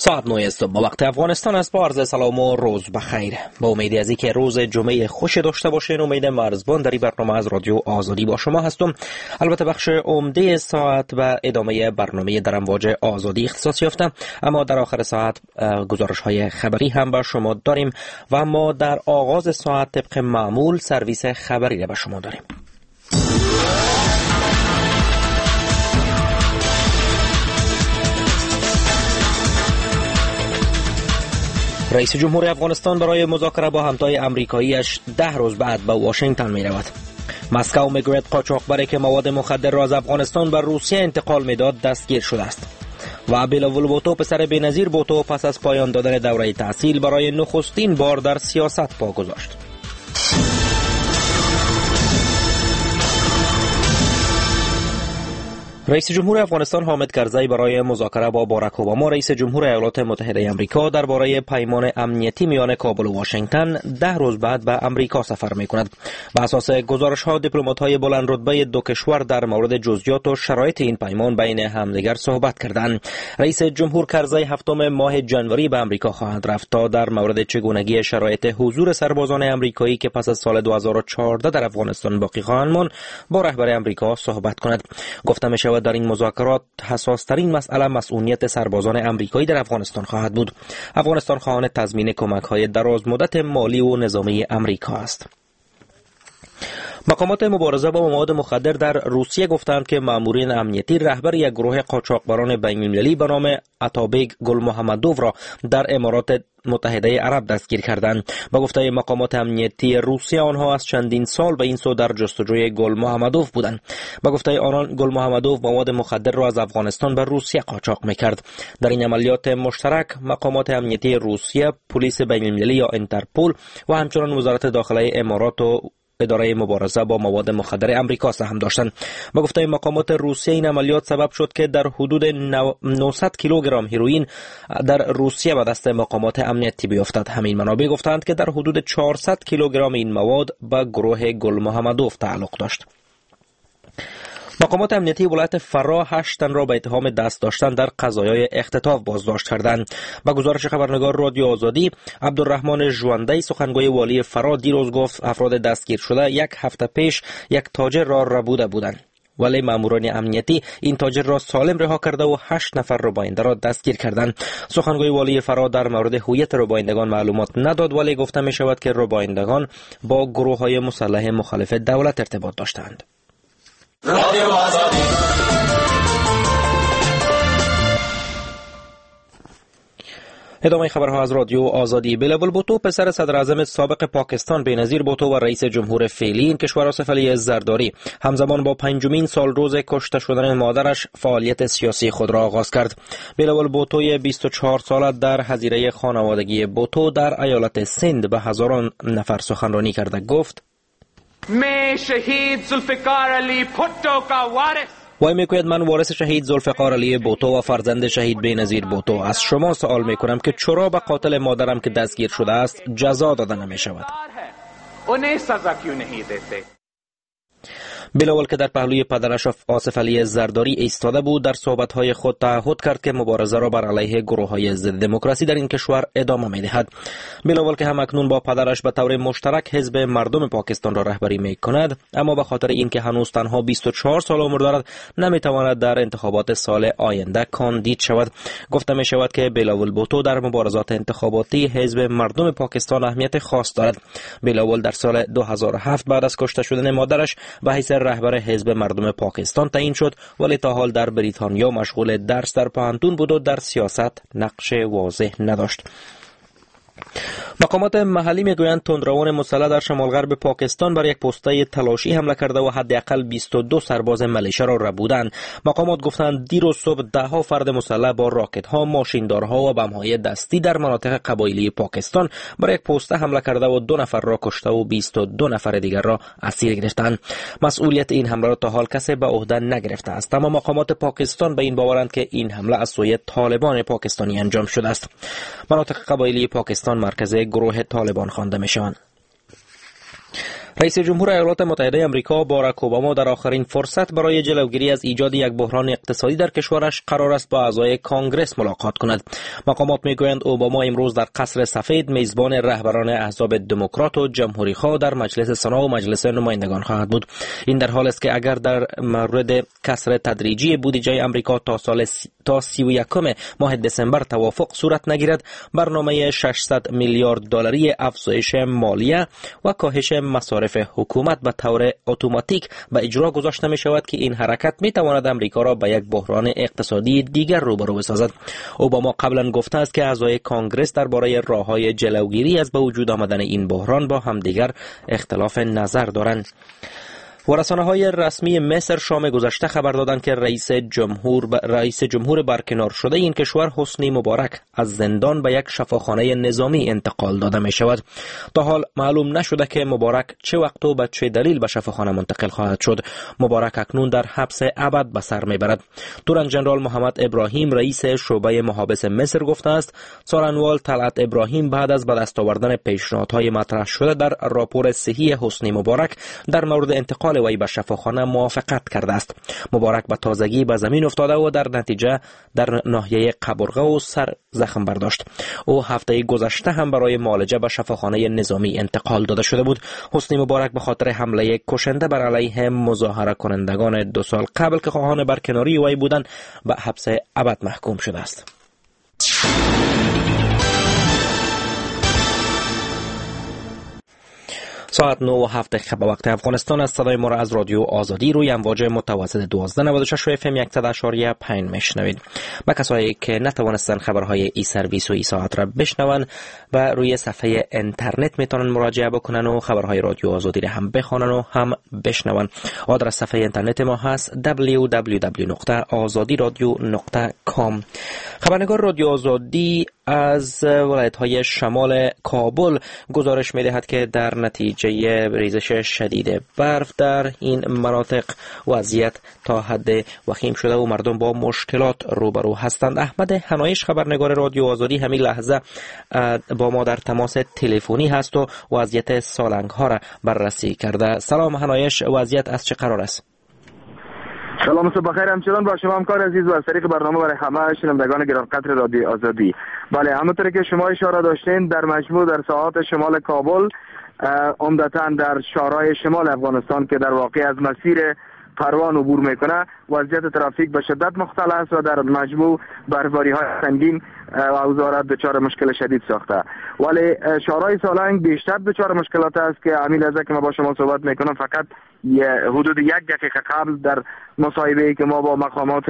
ساعت 9 صبح با وقت افغانستان است. با عرض سلام و روز بخیر. با امید از اینکه روز جمعه خوش داشته باشین، امید مرزبان در این برنامه از رادیو آزادی با شما هستم. البته بخش عمده ساعت و ادامه برنامه در امواج آزادی اختصاص یافته، اما در آخر ساعت گزارش های خبری هم با شما داریم و ما در آغاز ساعت طبق معمول سرویس خبری را به شما داریم. رئیس جمهور افغانستان برای مذاکره با همتای امریکاییش 10 روز بعد به واشنگتن می رود. مسکو میگوید قاچاقبری که مواد مخدر را از افغانستان به روسیه انتقال میداد دستگیر شده است. و بلاول بوتو پسر بی‌نظیر بوتو پس از پایان دادن دوره تحصیل برای نخستین بار در سیاست پا گذاشت. رئیس جمهور افغانستان حامد کرزی برای مذاکره با باراک اوباما رئیس جمهور ایالات متحده آمریکا درباره پیمان امنیتی میان کابل و واشنگتن 10 روز بعد به امریکا سفر میکند. به اساس گزارش‌ها دیپلمات‌های بلند رتبه دو کشور در مورد جزئیات و شرایط این پیمان بین همدیگر صحبت کردند. رئیس جمهور کرزی 7 ماه ژانویه به امریکا خواهد رفت تا در مورد چگونگی شرایط حضور سربازان امریکایی که پس از سال 2014 در افغانستان باقی خواهند ماند با رهبر امریکا صحبت کند. گفته می‌شود در این مذاکرات حساس ترین مسئله مسئولیت سربازان امریکایی در افغانستان خواهد بود. افغانستان خواهان تضمین کمک‌های دراز مدت مالی و نظامی امریکا است. مقامات مبارزه با مواد مخدر در روسیه گفتند که مامورین امنیتی رهبر یک گروه قاچاقبران بین‌المللی به نام اتابیگ گل محمدوف را در امارات متحده عرب دستگیر کردند. با گفته مقامات امنیتی روسیه آنها از چندین سال به این سو در جستجوی گل محمدوف بودند. با گفته آنان گل محمدوف مواد مخدر را از افغانستان به روسیه قاچاق میکرد. در این عملیات مشترک مقامات امنیتی روسیه، پلیس بین‌المللی یا انترپول و همچنین وزارت داخله امارات و اداره مبارزه با مواد مخدر امریکا سهم داشتند. با گفته مقامات روسیه این عملیات سبب شد که در حدود 900 کیلوگرم هیروئین در روسیه به دست مقامات امنیتی بیفتد. همین منابع گفتند که در حدود 400 کیلوگرم این مواد به گروه گل محمدوف تعلق داشت. مقامات امنیتی ولایت فراه 8 تن را به اتهام دست داشتن در قضایای اختطاف بازداشت کردند. با گزارش خبرنگار رادیو آزادی، عبدالرحمن ژوندی سخنگوی والی فراه دیروز گفت افراد دستگیر شده یک هفته پیش یک تاجر را ربوده بودند، ولی ماموران امنیتی این تاجر را سالم رها کرده و 8 نفر رباینده را دستگیر کردند. سخنگوی والی فراه در مورد هویت ربایندگان معلومات نداد، ولی گفته می شود که ربایندگان با گروه های مسلح مخالف دولت ارتباط داشتند. ادامه خبرها از رادیو آزادی. بلاول بوتو پسر صدر اعظم سابق پاکستان بی‌نظیر بوتو و رئیس جمهور فعلی این کشور آصف علی زرداری همزمان با 5مین سال روز کشته شدن مادرش فعالیت سیاسی خود را آغاز کرد. بلاول بوتو 24 ساله در حظیره خانوادگی بوتو در ایالت سند به هزاران نفر سخنرانی کرده گفت: وای میگوید من وارث شهید ذوالفقار علی بوتو و فرزند شهید بی‌نظیر بوتو از شما سوال میکنم که چرا به قاتل مادرم که دستگیر شده است جزا داده نمیشود. بلاول که در پهلوی پدرش آصف علی زرداری ایستاده بود در صحبت‌های خود تعهد کرد که مبارزه را بر علیه گروه‌های ضد دموکراسی در این کشور ادامه می‌دهد. بلاول که هم اکنون با پدرش به طور مشترک حزب مردم پاکستان را رهبری می‌کند، اما به خاطر اینکه هنوز تنها 24 سال عمر دارد نمی‌تواند در انتخابات سال آینده کاندید شود. گفته می‌شود که بلاول بوتو در مبارزات انتخاباتی حزب مردم پاکستان اهمیت خاص دارد. بلاول در سال 2007 بعد از کشته شدن مادرش به حیث رهبر حزب مردم پاکستان تعیین شد، ولی تا حال در بریتانیا مشغول درس در پوهنتون بود و در سیاست نقش واضح نداشت. مقامات محلی میگویند تندروان مسلح در شمال غرب پاکستان بر یک پسته تلاشی حمله کرده و حداقل 22 سرباز ملیشه را ربودند. مقامات گفتند دیروز صبح ده ها فرد مسلح با راکت ها، ماشیندارها و بم های دستی در مناطق قبایلی پاکستان بر یک پسته حمله کرده و 2 نفر را کشته و 22 نفر دیگر را اسیر گرفتند. مسئولیت این حمله را تا حال کسی به عهده نگرفته است، اما مقامات پاکستان به این باورند که این حمله از سوی طالبان پاکستانی انجام شده است. مناطق قبایلی پاکستان مرکز گروه طالبان خوانده میشوند. رئیس جمهور ایالات متحده آمریکا باراک اوباما در آخرین فرصت برای جلوگیری از ایجاد یک بحران اقتصادی در کشورش قرار است با اعضای کانگرس ملاقات کند. مقامات میگویند اوباما امروز در قصر سفید میزبان رهبران احزاب دموکرات و جمهوری خواه در مجلس سنا و مجلس نمایندگان خواهد بود. این در حال است که اگر در مورد کسر تدریجی بودجه آمریکا تا 31 ماه دسامبر توافق صورت نگیرد، برنامه 600 میلیارد دلاری افزایش مالیه و کاهش مصارف حکومت به طور اتوماتیک به اجرا گذاشته می شود که این حرکت می تواند امریکا را به یک بحران اقتصادی دیگر روبرو بسازد. اوباما قبلا گفته است که اعضای کانگرس درباره راه‌های جلوگیری از به وجود آمدن این بحران با همدیگر اختلاف نظر دارند. و رسانه‌های رسمی مصر شام گذشته خبر دادند که رئیس جمهور برکنار شده این کشور حسنی مبارک از زندان به یک شفاخانه نظامی انتقال داده می شود. تا حال معلوم نشده که مبارک چه وقت و به چه دلیل به شفاخانه منتقل خواهد شد. مبارک اکنون در حبس ابد به سر می برد. تورن جنرال محمد ابراهیم رئیس شعبه محابس مصر گفته است سارنوال طلعت ابراهیم بعد از به دست آوردن پیشنهادهای مطرح شده در راپور صحی حسنی مبارک در مورد انتقال وی به شفاخانه موافقت کرده است. مبارک به تازگی به زمین افتاده و در نتیجه در ناحیه قبرغه و سر زخم برداشت. او هفته گذشته هم برای معالجه به شفاخانه نظامی انتقال داده شده بود. حسنی مبارک به خاطر حمله کشنده بر علیه مظاهره کنندگان 2 سال قبل که خواهان برکناری وی بودند به حبس ابد محکوم شده است. ساعت 9:07 به وقت افغانستان از صدای ما را از رادیو آزادی روی امواج متوسط 1296 اف ام 100.5 میشنوید. با کسایی که نتوانستن خبرهای ای سرویس و ای ساعت را بشنون و روی صفحه اینترنت میتونن مراجعه بکنن و خبرهای رادیو آزادی را هم بخوانن و هم بشنون. آدرس صفحه اینترنت ما هست www.azadiradio.com. خبرنگار رادیو آزادی از ولایت‌های شمال کابل گزارش می‌دهد که در نتیجه ریزش شدید برف در این مناطق وضعیت تا حد وخیم شده و مردم با مشکلات روبرو هستند. احمد هنایش خبرنگار رادیو آزادی همین لحظه با ما در تماس تلفنی هست و وضعیت سالنگ ها را بررسی کرده. سلام هنایش، وضعیت از چه قرار است؟ سلام، صبح بخیر. همچنان با شما همکار عزیز و از طریق برنامه برای همه شنوندگان گرانقدر رادیو آزادی. بله، همونطور که شما اشاره داشتین، در مجموع در ساعات شمال کابل، عمدتاً در شهرهای شمال افغانستان که در واقع از مسیر پروان عبور میکنه، وضعیت ترافیک به شدت مختل است و در مجموع برفباری های سنگین اوضاع را دچار مشکل شدید ساخته. ولی شهرهای سالنگ بیشتر دچار مشکلات است که همین لحظه که ما با شما صحبت میکنم، فقط حدود 1 دقیقه قبل در مصاحبه‌ای که ما با مقامات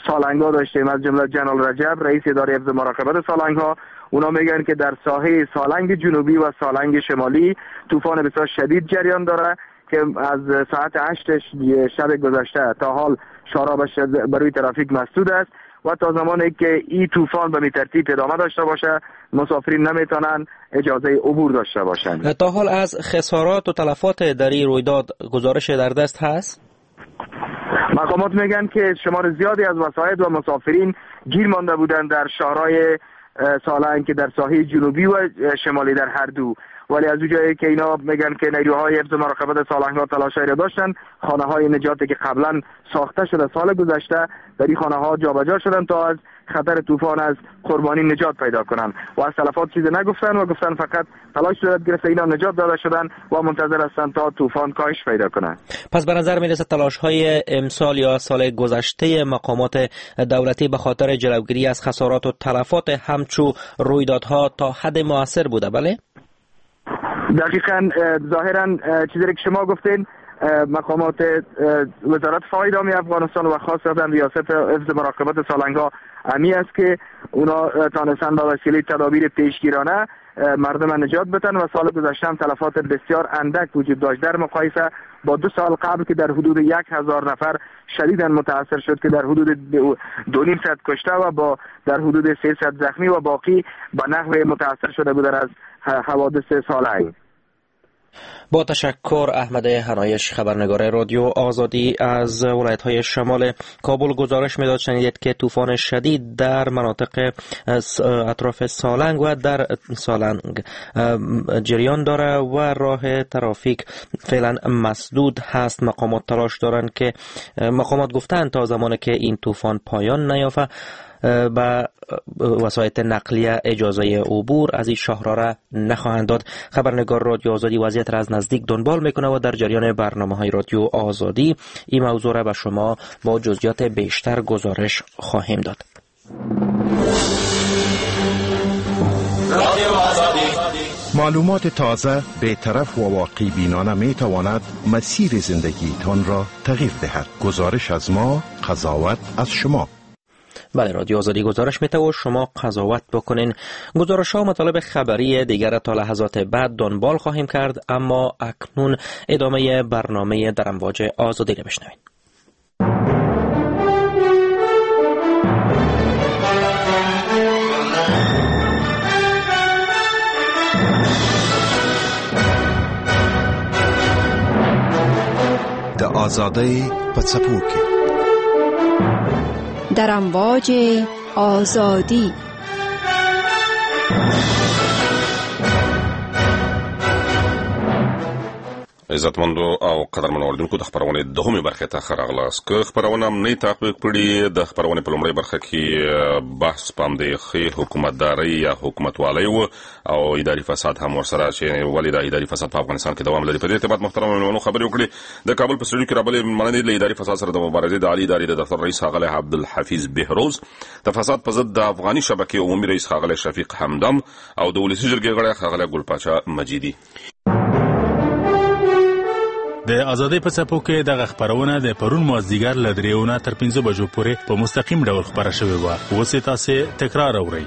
سالنگ‌ها داشتیم، از جمله جنرال رجب رئیس اداره حفظ مراقبت سالنگ‌ها، اونا میگن که در ساحه سالنگ جنوبی و سالنگ شمالی طوفان بسیار شدید جریان داره که از ساعت 8 شب گذشته تا حال شارع بر روی ترافیک مسدود است و تا زمانی که این طوفان به ترتیب ادامه داشته باشه مسافرین نمیتونن اجازه عبور داشته باشند. تا حال از خسارات و تلفات در این رویداد گزارش در دست هست؟ مقامات میگن که شمار زیادی از وسایط و مسافرین گیر مانده بودند در شهرهای سالنگ که در ساحه جنوبی و شمالی در هر دو، ولی از اونجایی که اینا میگن که نیروهای حفظ مراقبت سالنگ‌ها تلاش‌هایی را داشتن، خانه‌های نجاتی که قبلا ساخته شده سال گذشته در این خانه‌ها جابجا شدن تا از خطر طوفان از قربانی نجات پیدا کنن و از تلفات چیز نگفتن و گفتن فقط تلاش صورت گرفته، اینا نجات داده شدن و منتظر هستن تا طوفان کاهش پیدا کنه. پس به نظر میرسه تلاش‌های امسال یا سال گذشته مقامات دولتی به خاطر جلوگیری از خسارات و تلفات همچو رویدادها تا حد موثر بوده. بله؟ دقیقاً، ظاهراً چیزی که شما گفتین، مقامات وزارت فایدامی افغانستان و خاصتا ریاست حفظ مراقبت سالنگ‌ها امی است که اونا تانستن با وسیله تدابیر پیشگیرانه مردم نجات بدن و سال گذشته هم تلفات بسیار اندک وجود داشت در مقایسه با 2 سال قبل که در حدود 1000 نفر شدیداً متاثر شد که در حدود 250 کشته و با در حدود 300 زخمی و باقی به نحو متاثر شده بودن از حوادث سالنگ. با تشکر احمد هنایش، خبرنگار رادیو آزادی از ولایت‌های شمال کابل گزارش میداد. شنیدید که طوفان شدید در مناطق اطراف سالنگ و در سالنگ جریان داره و راه ترافیک فعلا مسدود هست. مقامات تلاش دارند که مقامات گفتند تا زمانی که این طوفان پایان نیافته به وسایط نقلیه اجازه عبور از این شاهراه را نخواهند داد. خبرنگار رادیو آزادی وضعیت را از نزدیک دنبال میکنه و در جریان برنامه‌های رادیو آزادی این موضوع را به شما با جزئیات بیشتر گزارش خواهیم داد. رادیو آزادی. معلومات تازه، بی‌طرف و واقع بینانه می تواند مسیر زندگیتان را تغییر دهد. گزارش از ما، قضاوت از شما. بله، رادیو آزادی گزارش میده و شما قضاوت بکنین. گزارش ها و مطالب خبری دیگر تا لحظات بعد دنبال خواهیم کرد، اما اکنون ادامه برنامه در امواج آزادی را بشنوید. د آزادۍ په څپو کې، در امواج آزادی. عزتمندو او قدرمنو اوریدونکو، د خپرونې دوهمې برخې ته ښه راغلاست. که خپرونه هم نه تعقیب کړي، د خپرونې په لومړۍ برخه کې بحث په همدې ښې حکومتدارۍ یا حکومتوالۍ و او اداري فساد هم ورسره، چې ولې دا اداري فساد په افغانستان کې دوام لري. په دې ارتباط محترم مېلمنو خبرې وکړې. د کابل په سټوډیو کې راغلي مېلمانه دي له اداري فساد سره د مبارزې د عالي ادارې د دفتر رئیس ښاغلی عبدالحفیظ بهروز، د فساد په ضد د افغاني شبکې عمومي رئیس ښاغلی شفیق همدم او د ولسي جرګې غړی ښاغلی ګل پاچا مجیدي. د ازادۍ په څپو کې دغه خپرونه د پرون مازدیګر له 3 نه تر 5 بجو پورې په مستقیم ډول خپره شوې وه. اوس یې تاسې تکرار اورئ.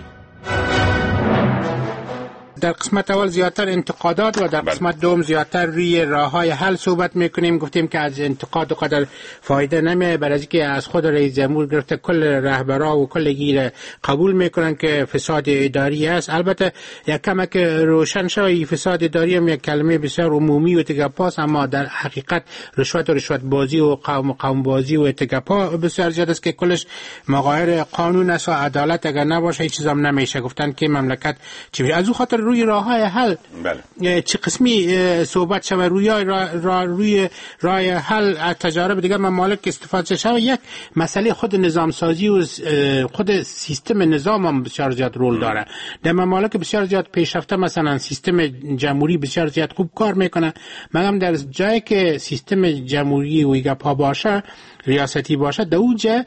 در قسمت اول زیادتر انتقادات و در قسمت دوم زیادتر روی راه‌های حل صحبت میکنیم. گفتیم که از انتقاد قدر فایده نمیه، برای اینکه از خود رئیس جمهور گرفته کل رهبرا و کل گیر قبول میکنن که فساد اداری است. البته یک کمک روشن شوی، این فساد اداری هم یک کلمه بسیار عمومی و تگپاس، اما در حقیقت رشوت و رشوت بازی و قوم بازی و تگپا بسیار زیاد است که کلش مغایر قانون است و عدالت اگر نباشه هیچ چیز هم نمیشه. گفتن که مملکت چی از او خاطر روی راه‌های حل بله. چه قسمی صحبت شود، روی روی راه حل از تجارب دیگر ممالک استفاده شود. یک مسئله خود نظام سازی و خود سیستم نظام هم بسیار زیاد رول داره. در ممالک بسیار زیاد پیشرفته مثلا سیستم جمهوری بسیار زیاد خوب کار میکنه، مگم در جایی که سیستم جمهوری و گپا باشه، ریاستی باشه، در اونجا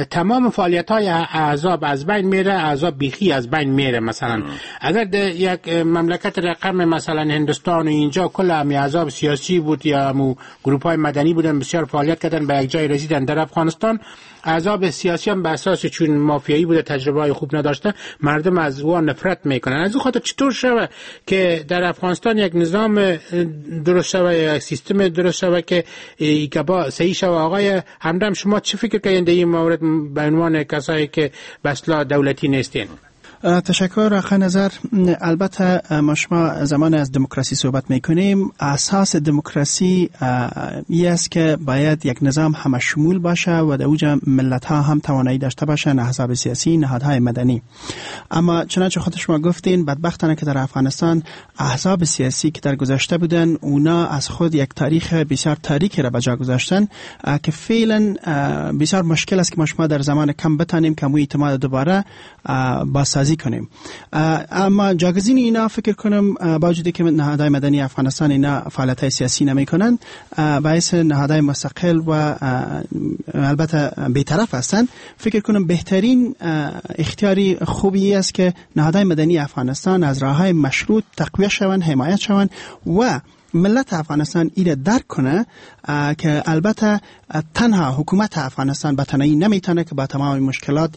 تمام فعالیت‌های احزاب از بین میره، احزاب بیخی از بین میره. مثلا اگر در یک مملکت رقم مثلا هندوستان و اینجا کل هم احزاب سیاسی بود یا گروپ‌های مدنی بودن، بسیار فعالیت کردن، به یک جای رسیدن. در افغانستان احزاب سیاسی هم به اساس چون مافیایی بوده، تجربه خوب نداشته، مردم از او نفرت میکنن. از او خاطر چطور شوه که در افغانستان یک نظام درست شوه، یک سیستم درست شوه که با صحیح شوه؟ آقای همدم، شما چه فکر کردین در این مورد به عنوان کسایی که به اصطلاح دولتی نیستین؟ تشکر آقای نظر. البته ما شما زمان از دموکراسی صحبت میکنیم، اساس دموکراسی ای است که باید یک نظام همه شمول باشه و در اوج ملت ها هم توانایی داشته باشن، احزاب سیاسی، نهادهای مدنی. اما چنانچه خود شما گفتین، بدبختانه که در افغانستان احزاب سیاسی که در گذشته بودن، اونا از خود یک تاریخ بسیار تاریکی را به جا گذاشتن که فعلا بسیار مشکل است که ما شما در زمان کم بتانیم که مو اعتماد دوباره بازسازی کنیم. اما جاگزین اینا فکر کنم با وجودی که نهادهای مدنی افغانستان اینا فعالیت سیاسی نمیکنن، باعث نهادهای مستقل و البته بی‌طرف هستند، فکر کنم بهترین اختیاری خوبی است که نهادهای مدنی افغانستان از راههای مشروط تقویت شوند، حمایت شوند و ملت افغانستان ایره درک کنه که البته تنها حکومت افغانستان به تنهایی نمیتونه که با تمام مشکلات،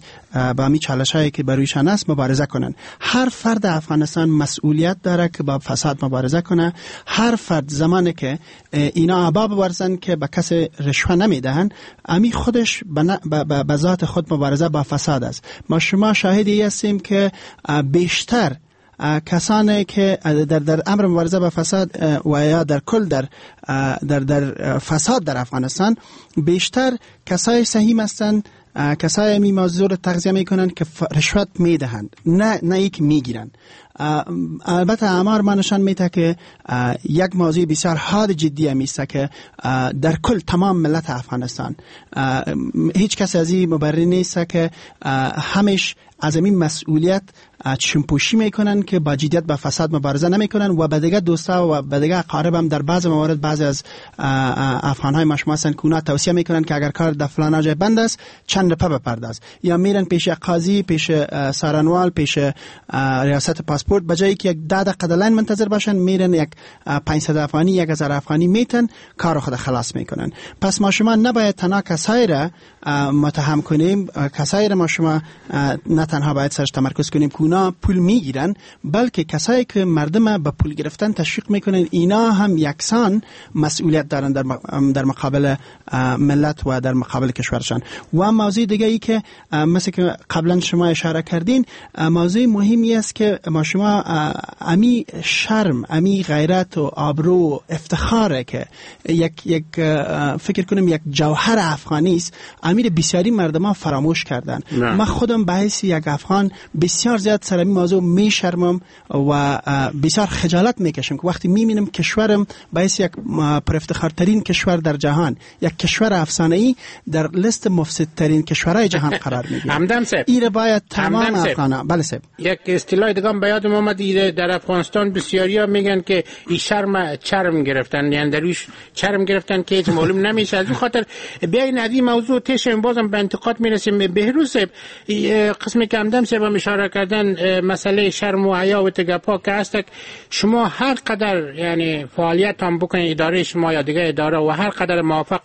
با می چالش هایی که برویشان است مبارزه کنن. هر فرد افغانستان مسئولیت داره که با فساد مبارزه کنه. هر فرد زمانی که اینا عبا بورزن که به کس رشوه نمیدهن، امی خودش به ذات خود مبارزه با فساد است. ما شما شاهدی هستیم که بیشتر کسانی که در امر مبارزه با فساد و یا در کل در در در فساد در افغانستان بیشتر کسای سهیم هستند، کسای می موضوع رو تغذیه میکنن که رشوت میدهند، نه یک میگیرن. البته آمار ما نشان میده که یک موضوع بسیار حاد جدی هم است که در کل تمام ملت افغانستان هیچ کس از این مبرر نیست که همیش از این مسئولیت چشمپوشی میکنن که با جدیت با فساد مبارزه نمیکنن و به دیگه دوستا و به دیگه اقارب هم در بعض موارد بعضی از افغانهای ما شما هستن که اونا توصیه میکنن که اگر کار در فلان جای بند است چند رپه بپرداز، یا میرن پیش قاضی، پیش سارنوال، پیش ریاست پاسپورت، به جایی که یک 10 دقیقه line منتظر باشن میرن یک 500 افغانی 1000 افغانی میتن کار خود خلاص میکنن. پس ما شما نباید تنها کسایی را متهم کنیم، کسایی را ما شما نه تنها باید سرش تمرکز کنیم که اونا پول میگیرن، بلکه کسایی که مردم به پول گرفتن تشویق میکنن اینا هم یکسان مسئولیت دارن در مقابل ملت و در مقابل کشورشان. و موضوع دیگه ای که مثل که قبلا شما اشاره کردین، موضوع مهمی است که ما شما امی شرم، امی غیرت و آبرو و افتخاره که یک فکر کنم یک جوهر افغانی است، امیر بسیاری مردم ها فراموش کردن. ما خودم به حیث یک افغان بسیار زیاد سر این موضوع میشرمم و بسیار خجالت میکشم که وقتی میبینم کشورم به حیث یک پرافتخارترین کشور در جهان، یک کشور افسانه‌ای، در لیست مفسدترین کشورهای جهان قرار میگیره. همدم صاحب، این باید تمام افغانا. بله صاحب، یک اصطلاح دیگه به یادم اومد، در افغانستان بسیاریا میگن که این شرم چرم گرفتن، یعنی درویش چرم گرفتن که هیچ معلوم نمیشه. از اون خاطر بیاین از این موضوع تشم بازم به انتقاد میرسیم. بهروز صاحب، قسمی که همدم صاحب اشاره کردن مسئله شرم و حیا و تگپا که هست، شما هر قدر یعنی فعالیت هم بکنید اداره شما یا دیگه اداره و هر قدر موافق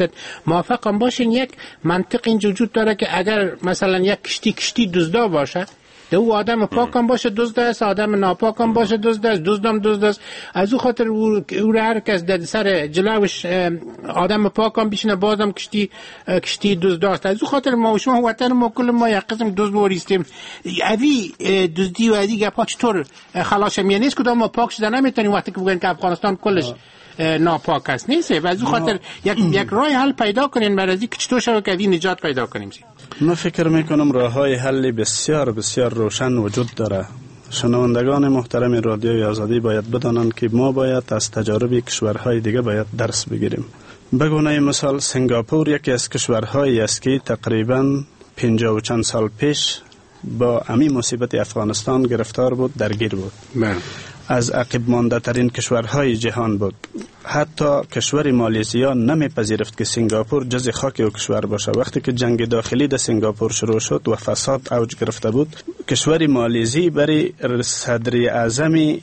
100% موافق هم باشین، یک منطق اینجا وجود داره که اگر مثلا یک کشتی دزدا باشه، او آدم پاک هم باشه دزد است، آدم ناپاک هم باشه دزد است، دزدم دزد است. از او خاطر او هر کس در سر جلوش آدم پاک هم بشینه بازم کشتی دزد است. از او خاطر ما و شما وطن ما کل ما یک قسم دزد وریستیم. اوی دزدی و ازی گپا چطور خلاص میشه؟ نیست کدام ما پاک شده نمیتونیم وقتی که بگن که افغانستان کلش ناپاک است، نیست. و از او خاطر یک راه حل پیدا کنین برای از اینکه چطور شود که نجات پیدا کنیم. من فکر میکنم راه های حل بسیار بسیار روشن وجود داره. شنوندگان محترم رادیوی آزادی باید بدانند که ما باید از تجارب کشورهای دیگه باید درس بگیریم. به گونه مثال سنگاپور یکی از کشورهایی است که تقریباً 50 و چند سال پیش با امی مصیبت افغانستان گرفتار بود، درگیر بود. از عقب مانده ترین کشورهای جهان بود. حتی کشور مالزیا نمیپذیرفت که سنگاپور جز خاک او کشور باشه. وقتی که جنگ داخلی در سنگاپور شروع شد و فساد اوج گرفته بود، کشور مالزی برای صدر اعظم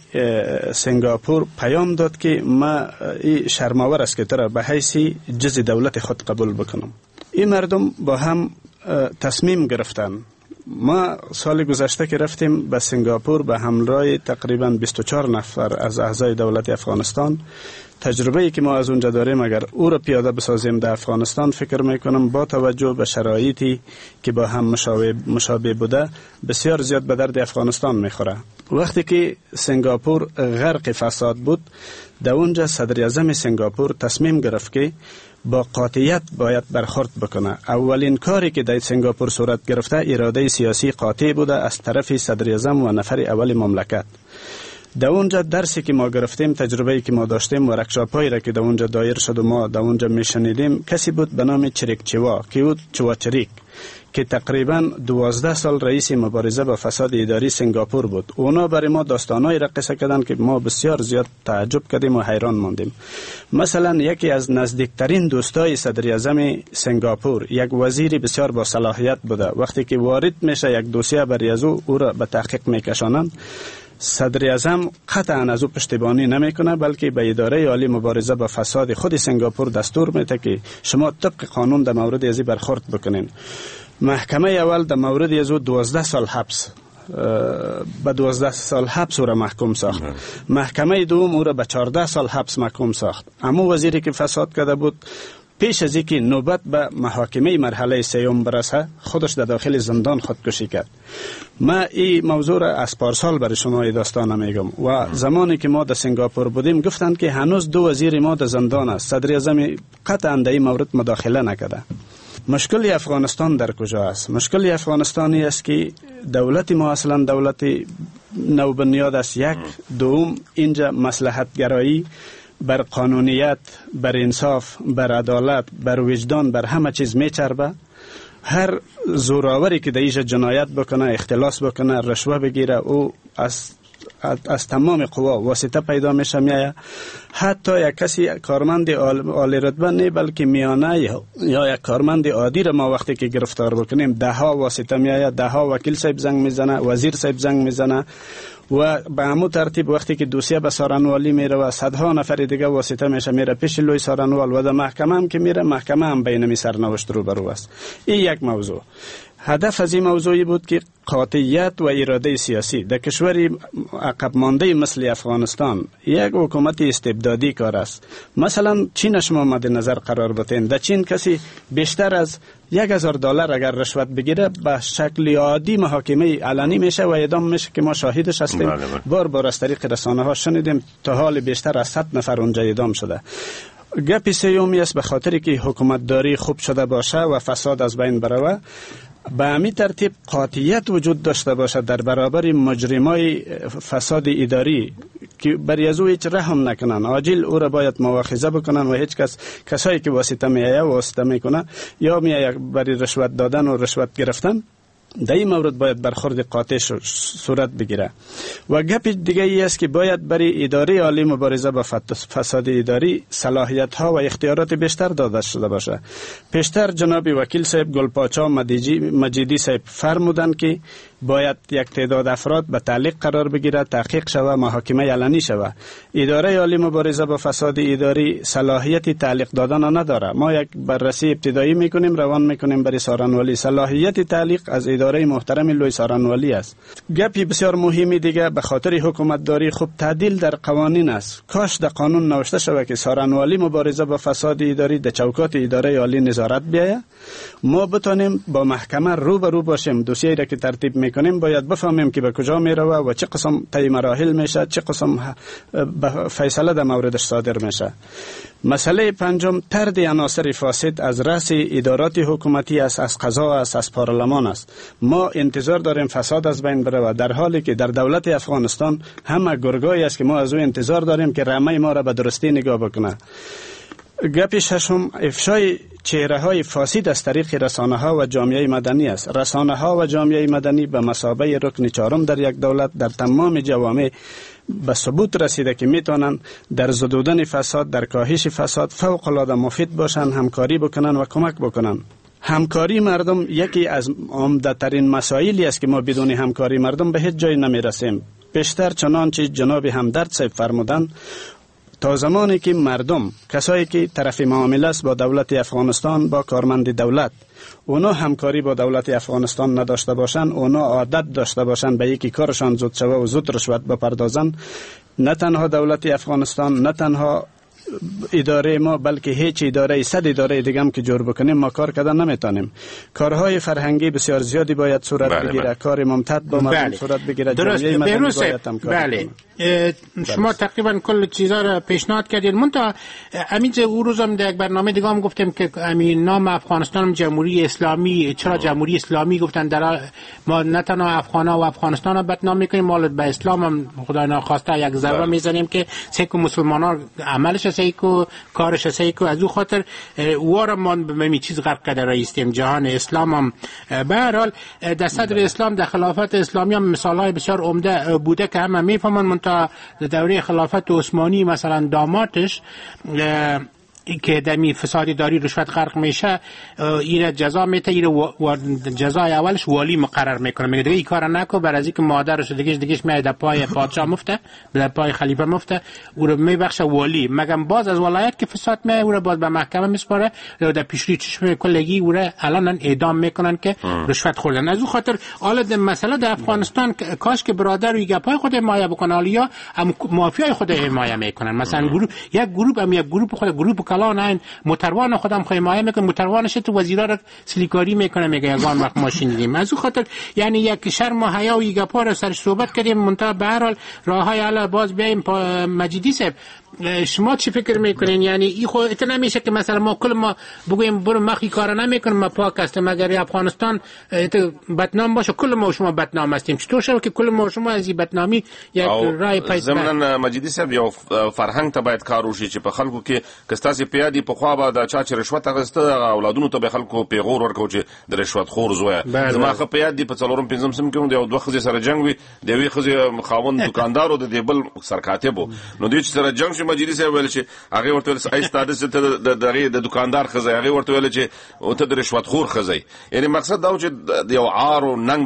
سنگاپور پیام داد که ما شرم‌آور است که تو را به حیث جز دولت خود قبول بکنم. این مردم با هم تصمیم گرفتن. ما سال گذشته که رفتیم به سنگاپور به همراه تقریباً 24 نفر از اعضای دولت افغانستان، تجربه ای که ما از اونجا داریم اگر او را پیاده بسازیم در افغانستان، فکر میکنم با توجه به شرایطی که با هم مشابه بوده بسیار زیاد به درد افغانستان میخوره. وقتی که سنگاپور غرق فساد بود، در اونجا صدر اعظم سنگاپور تصمیم گرفت که با قاطعیت باید برخورد بکنه. اولین کاری که در سنگاپور صورت گرفته اراده سیاسی قاطع بوده از طرف صدر اعظم و نفر اول مملکت. در اونجا درسی که ما گرفتیم، تجربه‌ای که ما داشتیم، ورکشاپ هایی را که در اونجا دایر شد و ما در اونجا میشنیدیم، کسی بود به نام چریک چوا که او چوا چریک که تقریبا 12 سال رئیس مبارزه با فساد اداری سنگاپور بود. اونا برای ما داستانایی را قصه کردن که ما بسیار زیاد تعجب کردیم و حیران ماندیم. مثلا یکی از نزدیکترین دوستای صدر اعظم سنگاپور، یک وزیر بسیار با صلاحیت بوده، وقتی که وارد میشه یک دوسیه برای از او را به تحقیق میکشانند، صدر اعظم قطعا از او پشتیبانی نمیکنه، بلکه به اداره عالی مبارزه با فساد خود سنگاپور دستور میده که شما طبق قانون در مورد ازی برخورد بکنین. محکمه اول در مورد از او 12 سال حبس، به 12 سال حبس او را محکوم ساخت. محکمه دوم او را به 14 سال حبس محکوم ساخت. اما وزیری که فساد کرده بود پیش از اینکه نوبت به محاکمه مرحله سوم برسه خودش در داخل زندان خودکشی کرد. ما این موضوع را از پارسال برای شما داستان میگم و زمانی که ما در سنگاپور بودیم گفتند که هنوز 2 وزیر ما در زندان است، صدر اعظم قطعا در این مورد مداخله نکرده. مشکل افغانستان در کجا است؟ مشکل افغانستان است که دولت ما اصلا دولت نوبنیاد است. یک، دوم اینجا مصلحت گرایی بر قانونیت، بر انصاف، بر عدالت، بر وجدان، بر همه چیز میچربه. هر زوراوری که در اینجا جنایت بکنه، اختلاس بکنه، رشوه بگیره، او از تمام قوا واسطه پیدا میشه میایه. حتی یک کسی کارمند عالی رتبه نه بلکه میانه یا یک کارمند عادی را ما وقتی که گرفتار بکنیم ده ها واسطه میایه، ده ها وکیل صاحب زنگ میزنه، وزیر صاحب زنگ میزنه و به همو ترتیب وقتی که دوسیه به سارنوالی میره و صدها نفر دیگه واسطه میشه میره پیش لوی سارنوال و در محکمه هم که میره محکمه هم بین می سرنوشت روبرو است. این یک موضوع. هدف از این موضوعی بود که قاطعیت و اراده سیاسی در کشور عقب مانده مثل افغانستان یک حکومت استبدادی کار است. مثلا چین شما مد نظر قرار بدین، در چین کسی بیشتر از $1000 اگر رشوت بگیره به شکل عادی محاکمه علنی میشه و اعدام میشه که ما شاهدش هستیم. بار بار از طریق رسانه ها شنیدیم تا حال بیشتر از 100 نفر اونجا اعدام شده. گپ سیومی است به خاطر که حکومتداری خوب شده باشه و فساد از بین بروه، به همین ترتیب قاطعیت وجود داشته باشد در برابر مجرمای فساد اداری که بر از او هیچ رحم نکنن، عاجل او را باید مواخذه بکنن و هیچ کس کسایی که واسطه میایه واسطه میکنه یا میایه برای رشوت دادن و رشوت گرفتن، در این مورد باید برخورد قاطع صورت بگیره. و گپ دیگه ای است که باید برای اداره عالی مبارزه با فساد اداری صلاحیت ها و اختیارات بیشتر داده شده باشه. پیشتر جناب وکیل صاحب گلپاچا مجیدی صاحب فرمودند که باید یک تعداد افراد به تعلیق قرار بگیره، تحقیق شوه، محاکمه علنی شوه. اداره عالی مبارزه با فساد اداری صلاحیت تعلیق دادن نداره. ما یک بررسی ابتدایی میکنیم، روان میکنیم برای سارنوالی. صلاحیت تعلیق از اداره محترم لوی سارنوالی است. گپی بسیار مهمی دیگه به خاطر حکومتداری خوب تعدیل در قوانین است. کاش در قانون نوشته شوه که سارنوالی مبارزه با فساد اداری در چوکات اداره عالی نظارت بیاید، ما بتونیم با محکمه رو به رو باشیم. دوسیه را که ترتیب میکنیم باید بفهمیم که به کجا میروه و چه قسم طی مراحل میشه، چه قسم فیصله در موردش صادر میشه. مسئله پنجم طرد عناصر فاسد از رأس ادارات حکومتی است، از قضا است، از پارلمان است. ما انتظار داریم فساد از بین بره، در حالی که در دولت افغانستان همه گرگایی است که ما از او انتظار داریم که رمه ما را به درستی نگاه بکنه. گپ ششم افشای چهره های فاسد از طریق رسانه ها و جامعه مدنی است. رسانه ها و جامعه مدنی به مثابه رکن چهارم در یک دولت در تمام جوامع به ثبوت رسیده که میتونن در زدودن فساد، در کاهش فساد فوق العاده مفید باشن، همکاری بکنن و کمک بکنن. همکاری مردم یکی از عمده ترین مسائلی است که ما بدون همکاری مردم به هیچ جای نمیرسیم. بیشتر چنانچه جناب همدرد صاحب فرمودن، تا زمانی که مردم، کسایی که طرف معامله است با دولت افغانستان، با کارمند دولت، اونا همکاری با دولت افغانستان نداشته باشن، اونا عادت داشته باشن به یکی کارشان زود شوه و زود رشوت بپردازن، نه تنها دولت افغانستان، نه تنها اداره ما، بلکه هیچ اداره، 100 اداره دیگه هم که جور بکنیم ما کار کردن نمیتونیم. کارهای فرهنگی بسیار زیادی باید صورت بگیره. بله. کار ممتد با مردم صورت بگیره. درست. باید هم کار بله. شما تقریبا کل چیزا را پیشنهاد کردید. منتها همین او روزم در یک برنامه دیگه هم گفتیم که همین نام افغانستان جمهوری اسلامی، چرا جمهوری اسلامی گفتن؟ در ما نه تنها افغانا و افغانستان را بدنام میکنیم، ما به اسلام هم خدای ناخواسته یک ضربه میزنیم که سیکو مسلمانان عملش سیکو کارش سیکو، از او خاطر وارا ما به می چیز غرق کرده رئیستیم جهان اسلام هم. به هر حال در صدر اسلام، در خلافت اسلامی هم مثال‌های بسیار عمده بوده که همه میفهمن. منتها دوره خلافت عثمانی مثلا دامادش که دمی فساد داری رشوت غرق میشه، ایره جزا میته، ایره جزای اولش والی مقرر میکنه، میگه دیگه این کارا نکن، بر از اینکه مادرش دیگهش میاد در پای پادشاه مفته، در پای خلیفه مفته، او رو میبخشه والی. مگم باز از ولایت که فساد میاد او رو باز به محکمه میسپاره، در پیشروی چشم کلگی او رو الان اعدام میکنن که رشوت خوردن. از او خاطر حالا مسئله در افغانستان کاش که برادر و گپای خود حمایت بکنه، یا مافیای خود حمایت میکنن. مثلا گروه یک گروه هم یک گروه خود گروه کلان این موتروان خودم خو حمایه میکنه، موتروانش تو وزیرا رو سلیکاری میکنه، میگه یگان وقت ماشین دیدیم. از او خاطر یعنی یک شرم و حیا و گپا رو سرش صحبت کردیم. منتها به هر حال راههای حالا باز بیایم مجیدی صاحب، شما چی فکر میکنین؟ یعنی این خو ات نمیشه که مثلا ما کل ما بگویم برو مخی کارا نمیکنم، ما پاک هستم، اگر افغانستان بدنام باشه کل ما شما بدنام هستیم. چطور شد که کل ما شما از این بدنامی یک رای پیدا؟ ضمناً مجیدی صاحب یو فرهنګ ته باید کار وشي چې په خلکو کې که ستاسې په یاد پخوا به د چا چې رشوت اخیسته هغه اولادونو ته به خلکو پیغور ورکاو چې د رشوت خور زویه. زما ښه په یاد دي په څلورم پنځم صنف کې د یو دوه ښځې سره جنګ وي، د یوې ښځې خاوند دوکاندار و، د دې بل سرکاتب و. نو دوی چې سره جنګ شو مجیدی صاحب ویل چې هغې ورته ویل ای ستا داسې ته د هغې د دوکاندار ښځه، هغې ورته ویل چې ته د رشوت خور ښځه. یعنې مقصد دا و چې د یو عار او ننګ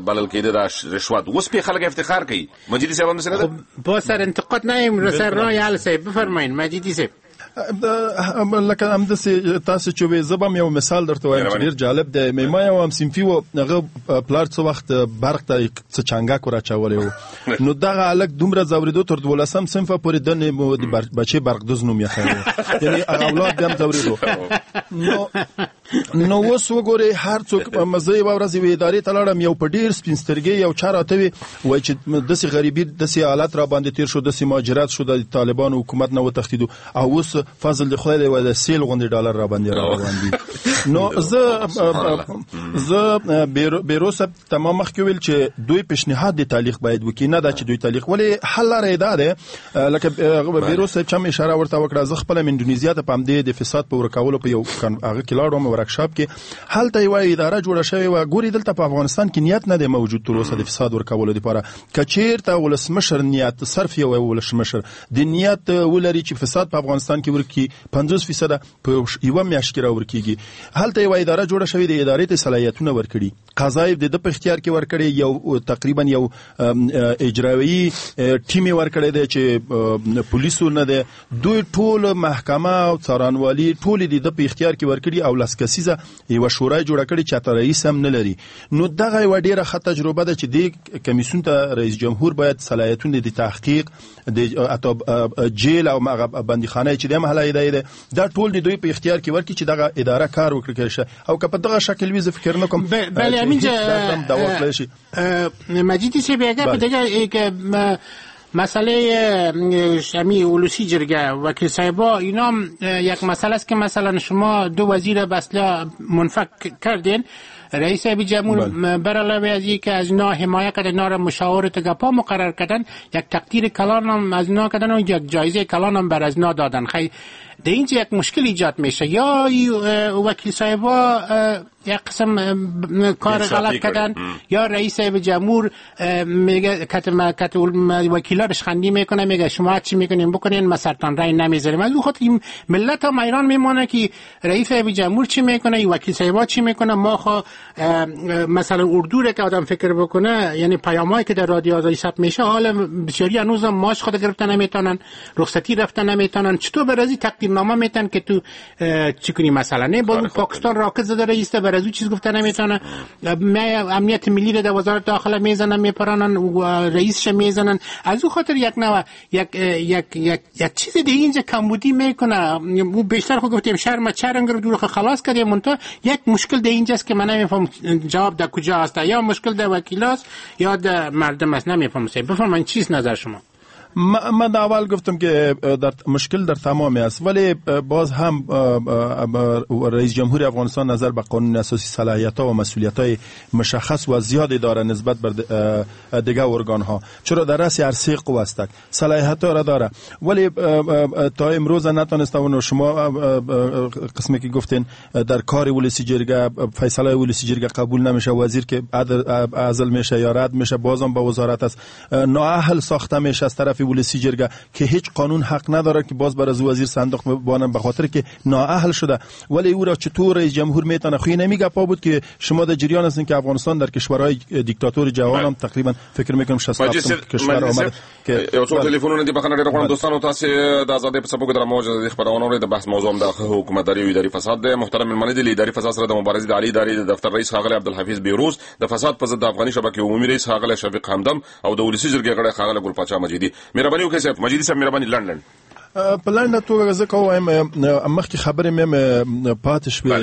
بلل کېده دا رشوت. اوس پرې خلک افتخار کوي. مجیدی صاحب هم داسې نه ده؟ با سر انتقاد نیم سر رای حل صاحب. بفرمایین مجیدی صاحب. لکه همداسې تاسو چې وې، زه به هم یو مثال درته وایم چې ډېر جالب دی. ما یو همصنفي و، هغه پلار څه وخت برق ته څه چنګک وراچولی و، نو دغه هلک دومره ځورېدو تر دولسم صنفه پورې د بچې برقدوز نوم یې ایښی و، یعنې هغه اولاد بیا هم ځورېدو. نو اوس وګورئ هر څوک، زه یوه ورځ یوې ادارې ته لاړم، یو په ډېر سپین سترګۍ یو چا راته وی وایي چې داسې غریبي داسې حالت را باندې تېر شو، داسې مهاجرت شو، د طالبانو حکومت نه وتښتېدو او اوس فضل د خدای دی وایي د سیل غوندې ډالر را باندې روان دي. نو زه بیروس تمام مخکې ویل چې دوی پیشنهاد د تعلیق باید وکړي، نه دا چې دوی تعلیق، ولې حل لاره یې دا ده لکه بیروس صاحب چې هم اشاره ورته وکړه. زه خپله اندونیزیا ته په همدې د فساد په ورکولو په یو هغه کې لاړم ورکشاپ کې، هلته یوه اداره جوړه شوې وه. ګوري دلته په افغانستان کې نیت نه دی موجود تر اوسه د فساد ورکولو لپاره. که چیرته ولسمشر نیت، صرف یو ولسمشر د نیت ولري چې فساد په افغانستان کې ورکي 50% په یوه میاشت کې راورکیږي. هلته یوه اداره جوړه شوې ده، ادارې ته صلاحیتونه ورکړي، قضا یې د ده په اختیار کې ورکړي، یو تقریبا یو اجرایي ټیم یې ورکړی دی چې پولیسو نه دی، دوی ټول محکمه او څارنوالي ټول د ده په اختیار کې ورکړي او لس کسیزه یوه شورا یې جوړه کړې چې حتی رئیس هم نه لري. نو دغه یوه ډېره ښه تجربه ده چې دې کمیسیون ته رئیس جمهور باید صلاحیتونه د تحقیق د حتی جیل او هغه بندیخانه چې د محله ادارې ده دا ټول د دوی په اختیار کې ورکړي چې دغه اداره کار وکړي شي. او که په دغه شکل وي زه فکر نه کوم. بله همینجا مجیدی صاحب اگر دیگه مسئله شمی ولسی جرگه وکیل صاحبا اینا یک مسئله است که مثلا شما دو وزیر به اصطلاح منفک کردین، رئیس جمهور بر علاوه از اینکه از اینا حمایت کردن، اینا را مشاور تگپا مقرر کردن، یک تقدیر کلان هم از اینا کردن و یک جایزه کلان هم بر از اینا دادن. خیلی در اینجا یک مشکل ایجاد میشه، یا وکیل صاحبا یک قسم کار غلط کردن یا رئیس جمهور میگه کت وکیلا رشخندی میکنه، میگه شما چی میکنین بکنین، ما سرطان رای نمیذاریم. از خاطر این ملت هم ایران میمونه که رئیس جمهور چی میکنه، ای وکیل صاحبا چی میکنه. ما خو مثلا اردو رو که آدم فکر بکنه، یعنی پیامایی که در رادیو آزادی ثبت میشه، حالا بسیاری هنوزم ماش خود گرفتن نمیتونن، رخصتی رفتن نمیتونن، چطور برازی تقدیرنامه میتن که تو چی کنی مثلا؟ نه با پاکستان راکت زده رئیس بر از او چیز گفته نمیتونه، امنیت ملی رو در وزارت داخله میزنن میپرانن و رئیسش میزنن. از او خاطر یک نوع یک یک یک یک چیز دیگه اینجا کمبودی میکنه. او بیشتر خود گفتیم شرم چرنگ رو دور خلاص کردیم، منتها یک مشکل در اینجاست که من نمیفهم جواب در کجا است، یا مشکل در وکیلاست یا در مردم است، نمیفهم. بفرمایید چیز نظر شما؟ من اول گفتم که در مشکل در تمامی است، ولی باز هم رئیس جمهور افغانستان نظر به قانون اساسی صلاحیت‌ها و مسئولیت‌های مشخص و زیادی داره نسبت بر دیگر ارگان‌ها، چرا در رأس هر سه قوه است، صلاحیت‌ها را داره، ولی تا امروز نتونسته. و شما قسمی که گفتین در کار ولسی جرگه فیصله ولسی جرگه قبول نمیشه، وزیر که عزل میشه یا رد میشه بازم به وزارت است، نااهل ساخته میشه از طرف ولسی جرگه که هیچ قانون حق نداره که باز بر از وزیر صندوق بانم به خاطر که نااهل شده. ولی او را چطور رئیس جمهور میتونه؟ خو نمی گپا بود که شما در جریان هستین که افغانستان در کشورهای دیکتاتور جهان هم تقریبا فکر میکنم 67 کشور آمد که یو څو ټلیفونونه دي. بخنه ډېر غواړم دوستانو، تاسو د ازادۍ په څپو کې د موج د خبرونو اورئ. د بحث موضوع هم د حکومتداري او اداري فساد دی. محترم مېلمانه دي، اداري فساد سره د مبارزې د عالي ادارې د دفتر رئیس ښاغلی عبدالحفیظ بیروز، د فساد په ضد د افغاني شبکې عمومي رئیس ښاغلی شفیق همدم او د ولسي جرګې غړی ښاغلی ګل پاچا مجیدي. مهرباني وکړئ صاحب مجیدي صاحب، مهرباني لنډ لنډ. په لنډه توګه زه کوم مخکې خبرې مې پاتې شوې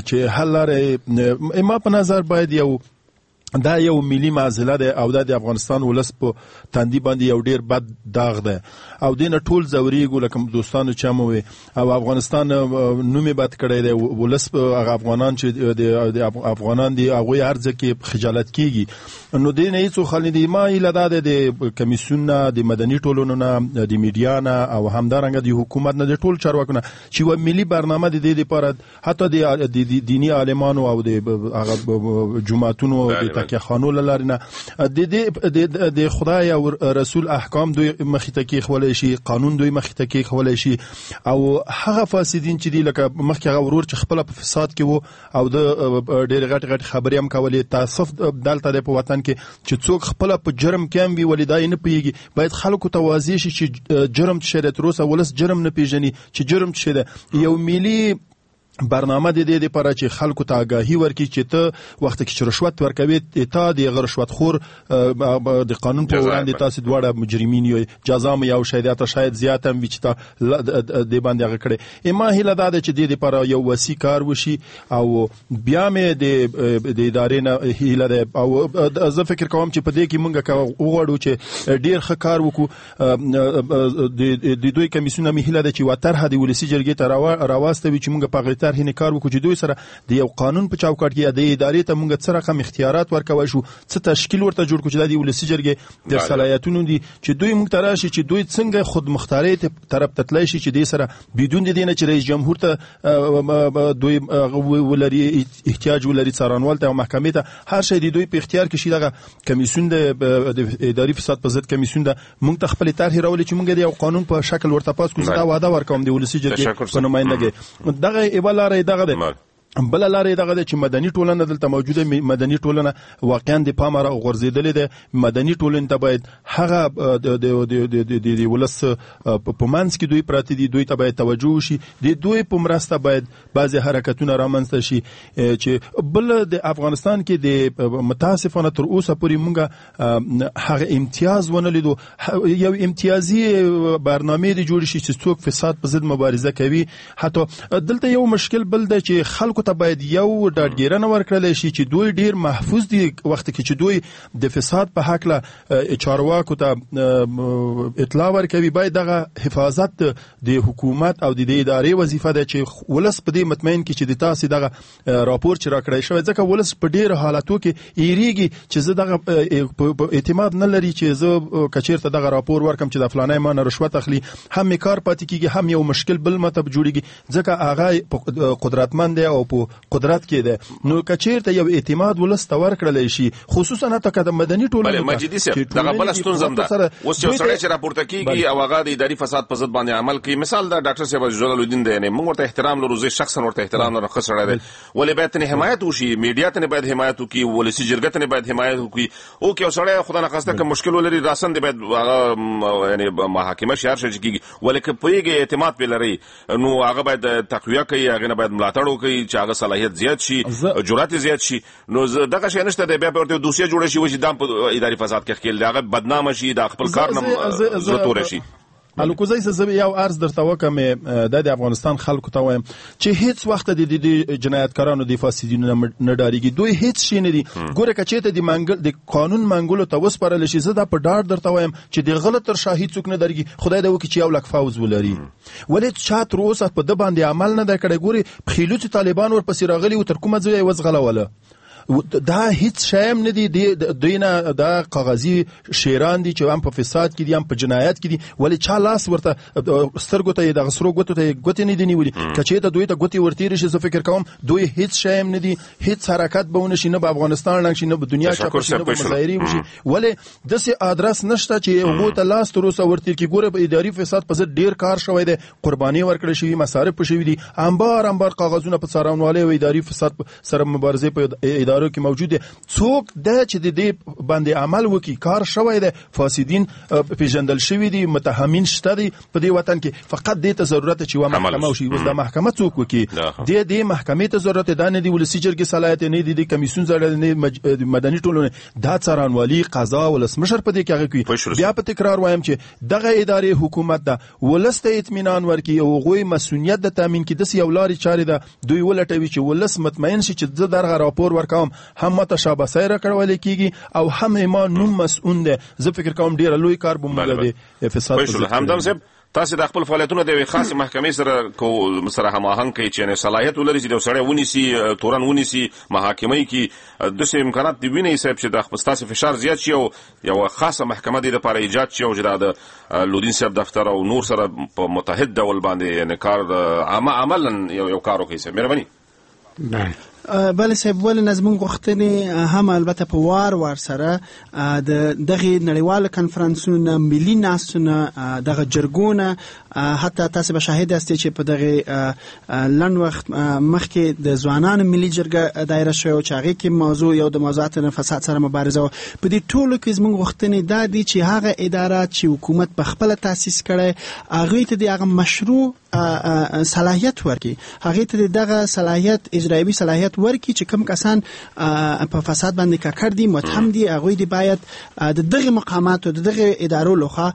چې حل لاره ما په نظر باید یو دا یو ملي معضله ده او دا د افغانستان ولس په تندي باندې یو ډیر بد داغ ده او دینه ټول ځوریږو لکه دوستانو چې مو وي او افغانستان نوم یې بد کړی دی، ولس هغه افغانان چې د افغانان دي هغوی هر ځای کې خجالت کیږي. نو دینه هیڅ خل نه دی. ما هیله دا ده د کمیسیون نه، د مدني ټولنو نه، د میډیا نه او همدارنګه د حکومت نه، د ټول چارواکو نه چې یوه ملي برنامه د دې لپاره حتی د دیني عالمانو او د هغه جوماتونو د تکیه خانو له لارې نه د د خدای او رسول احکام دوی مخې ته کېښولی شي، قانون دوی مخې ته کېښولی شي او هغه فاسدین چې دي لکه مخکې هغه ورور چې خپله په فساد کې وو او د ډېرې غټې غټې خبرې هم کولې. تاسف دلته دی په وطن کې چې څوک خپله په جرم کې هم وي ولې دا یې نه پوهېږي. باید خلکو ته واضح شي چې جرم څه شی دی. تر اوسه ولس جرم نه پېژني چې جرم څه شی دی. یو ملي برنامه د دې لپاره چې خلکو ته آګاهي ورکړي چې ته وخت کې چې رشوت ورکوي تا د هغه رشوتخور د قانون په وړاندې تاسو دواړه مجرمین یئ، جزا مو یو شی دی، شاید زیات هم وي چې تا دې باندې هغه کړی. ما هیله دا ده چې دې لپاره یو وسیع کار وشي او بیا مې د ادارې نه هیله ده او زه فکر کوم چې په دې کې مونږ که وغواړو چې ډیر ښه کار وکړو د دوی کمیسیون مې هیله ده چې یوه طرحه د ولسي جرګې ته راواستوي چې مونږ په هغې طرحې نه کار وکړو چې دوی سره د یو قانون په چوکاټ کې د ادارې ته مونږ څه رقم اختیارات ورکولی شو، څه تشکیل ورته جوړ کړو چې دا د ولسي جرګې د صلاحیتونو دي چې دوی مونږ ته راشي چې دوی څنګه خودمختارۍ طرف ته تللی شي چې دې سره بدون د دې نه چې رئیس جمهور ته دوی ولري احتیاج ولري څارنوال ته او محکمې ته، هر شی د دوی په اختیار کې شي. دغه کمیسیون د اداري فساد په ضد کمیسیون ده مونږ ته خپلې طرحې راولي چې مونږ د یو قانون په شکل ورته پاس کړو. زه دا وعده ورکوم د ولسي جرګې په نمایندګۍ. دغه یوه لاره دغه ده. بله لاره دغه ده چې مدني ټولنه دلته موجوده، مدني ټولنه واقعا د پامه راغورځېدلې ده. مدني ټولنې ته باید هغه د ولس په منځ کې دوی پراته دي، دوی ته باید توجه وشي، د دوی په مرسته باید بعضې حرکتونه رامنځته شي. چې بل د افغانستان کې د متاسفانه تر اوسه پورې مونږ هغه امتیاز ونه لیدو. یو امتیازي برنامې دې جوړې شي چې څوک فساد په ضد مبارزه کوي. حتی دلته یو مشکل بل دی چې خلکو ته باید یو ډاډګیرنه ورکړل شي چې دوی ډیر محفوظ دي وخت کې چې دوی د فساد په هکله چارواکو ته اطلاع ورکوي. باید دغه حفاظت د حکومت او د دې ادارې وظیفه ده چې ولس په دې مطمئن کړي چې د تاسې دغه راپور چې راکړی شوی، ځکه ولس په ډیرو حالتو کې ایریږي چې زه دغه اعتماد نه لري چې زه که چیرته دغه راپور ورکم چې د فلانی ما نه رشوت اخلي، هم یې کار پاتې کیږي، هم یو مشکل بل ماته جوړیږي، ځکه هغه قدرتمند دی او په قدرت کې ده. نو که چیرته یو اعتماد ولس ته ورکړل شي، خصوصا حتی که د مدني ټولنو ته، مجیدي صاحب دغه بله ستونزه هم ده. اوس یو سړی چې راپورته کیږي او هغه د اداري فساد په ضد باندې عمل کوي، مثال دا ډاکټر صاحب عزیزالله الدین دی، یعنې موږ ورته احترام لرو، زه شخصا ورته احترام لرم، ښه سړی دی، ولې باید ترې حمایت وشي، میډیا ترې باید حمایت وکړي، ولسي جرګه ترې باید حمایت وکړي. او که یو سړی خدای نخواسته که مشکل ولري راساً دې باید هغه یعنې محاکمه شي، هر شی چې کیږي، ولې که پوهېږي اعتماد پرې لري نو هغه باید تقویه کوي، هغې نه باید ملاتړ وکړي چې هغه صلاحیت زیات شي، جرأت یې زیات شي. نو دغه شی نشته دی، بیا به ورته دوسیه جوړه شي چې دا په اداري فساد کې ښکېل دی، هغه بدنامه شي، دا خپل کار نه زړه توری شي. الکوزی زه یو عرض درته وکم، دا د افغانستان خلکو ته وایم چې هیڅ وخت د دې جنایتکارانو د فاسدینو نه ډاریږي، دوی هیڅ شي نه دي. ګوره که چېرته د منګل د قانون منګولو ته وسپارل شي، زه دا په ډاډ درته وایم چې د غله تر شا هیڅوک نه ډاریږي. خدای دې وکړي چې 1 لک فوز ولري، ولې چا تر اوسه په ده باندې عمل نه دی کړی. ګوري پخېلوڅي طالبان ورپسې راغلي وو، تر کومه ځایه یې وځغلوله. دا هیڅ شی هم نه دي، دوی نه دا کاغذي شیران دي چې هم په فساد کې دي هم په جنایت کې دي، ولې چا لاس ورته سترګو ته یې دغه سرو ګوتو ته یې ګوتې نه دي نیولي. که چېرته دوی ته ګوتې ورتېرې شي، زه فکر کوم دوی هیڅ شی هم نه دي، هیڅ حرکت به ونه شي، نه به افغانستان ړنګ شي، نه به دنیا چپه شي، نه به مظاهرې وشي. ولې داسې ادرس نشته چې هغو ته لاس تر اوسه ورتېر کړي. ګوره په اداري فساد په ضد ډېر کار شوی دی، قرباني ورکړل شوي، مصارف شوي دي، انبار انبار کاغذونه په څارنوالۍ او اداري فساد سره مبارزې په ادارو کې موجود څوک ده چې د دې باندې عمل وکړي. کار شوی دی، فاسدین پیژندل شوي دي، متهمین شته دي په دې وطن کې. فقط دې ته ضرورت چې یوه محکمه وشي. اوس دا محکمه څوک وکړي؟ دې محکمې ته ضرورت ده، نه دی ولسي جرګې صلاحیت، نه دی د کمیسیون صلاحیت، نه مدني ټولنې، دا څارنوالي، قضا، ولسمشر په دې کې هغه کوي. بیا په تکرار وایم چې دغه ادارې حکومت ده ولس ته اطمینان ورکړي او هغوی مسؤلیت د تامین کړي. داسې یو لارې چارې ده دوی ولټوي چې ولس مطمئن شي چې زه درغه راپور ورکوم، هم ماته شاباسي راکړول کېږي او هم ما نوم مسؤل دی. زه فکر کوم ډېر لوی کار به موږ د فساد په همدم صاحب تاسو د خپل فعالیتونه د یوې خاصې محکمې سره هماهنګ کړئ چې صلاحیت ولري چې د سړی ونیسي، تورن ونیسي، محاکمه یې کړي. داسې امکانات دې وینئ صاحب چې د ستاسو فشار زیات شي او یوه خاصه محکمه دې لپاره ایجاد شي او چې دا د لودین صاحب دفتر او نور سره په متحد ډول باندې یعنې کار عملاً یو کار وکړي صاحب. مهرباني. بله صاحب، ولې نه زموږ غوښتنې هم البته په وار وار سره د دغه نړیوالو کنفرانسونو، ملي ناستونه، دغه جرګونه، حتی تاسو به شاهد هستئ چې په دغه لنډ وخت مخکې د ځوانانو ملي جرګه دایره شوې او چې هغې کې موضوع یو د موضوعاتو فساد سره مبارزه وه. په دې ټولو کې زموږ غوښتنې دا دي چې هغه اداره چې حکومت په خپله تاسیس کړی هغوی ته د هغه مشروع صلاحیت ورکړي، هغې ته دغه صلاحیت، اجرایوي صلاحیت ورکړي چې کوم کسان په فساد باندې ککړ دي، متهم دي، هغوی دې باید د دغه مقاماتو، د دغه ادارو لخوا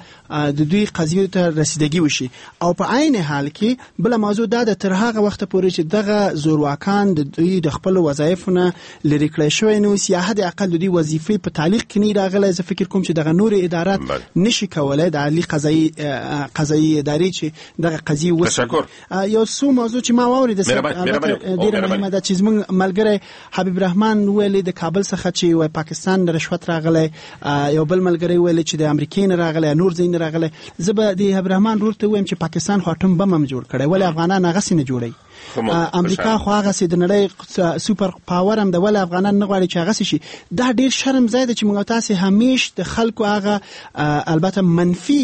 د دوی قضیو ته رسیدګي وشي. او په عین حال کې بله موضوع دا ده، تر هغه وخته پورې چې دغه زورواکان د دوی د خپلو وظایفو نه لرې کړی شوی نه اوسي یا حد اقل د دوی وظیفې په تعلیق کې نه راغلی، زه فکر کوم چې دغه نورې ادارات نشي کولی د عالي قضایي ادارې چې دغه قضیې وڅېړي. یو څو موضوع چې ما واورېده ډېره مهمه ده چې زموږ ملګری حبیب رحمان ویلې د کابل څخه چې وای پاکستان نه رشوت راغلی، یو بل ملګری ویلې چې د امریکې نه راغلی، نور ځای نه راغلی. زه به د حبیب رحمان ورور ته ووایم چې پاکستان خو اټوم بم هم جوړ کړی، ولې افغانان هغسې نه جوړوي؟ امریکا خو هغسې د نړۍ super power هم ده، ولې افغانان نه غواړي چې هغسې شي؟ دا ډېر شرم ځای دی چې موږ تاسې همیش د خلکو هغه البته منفي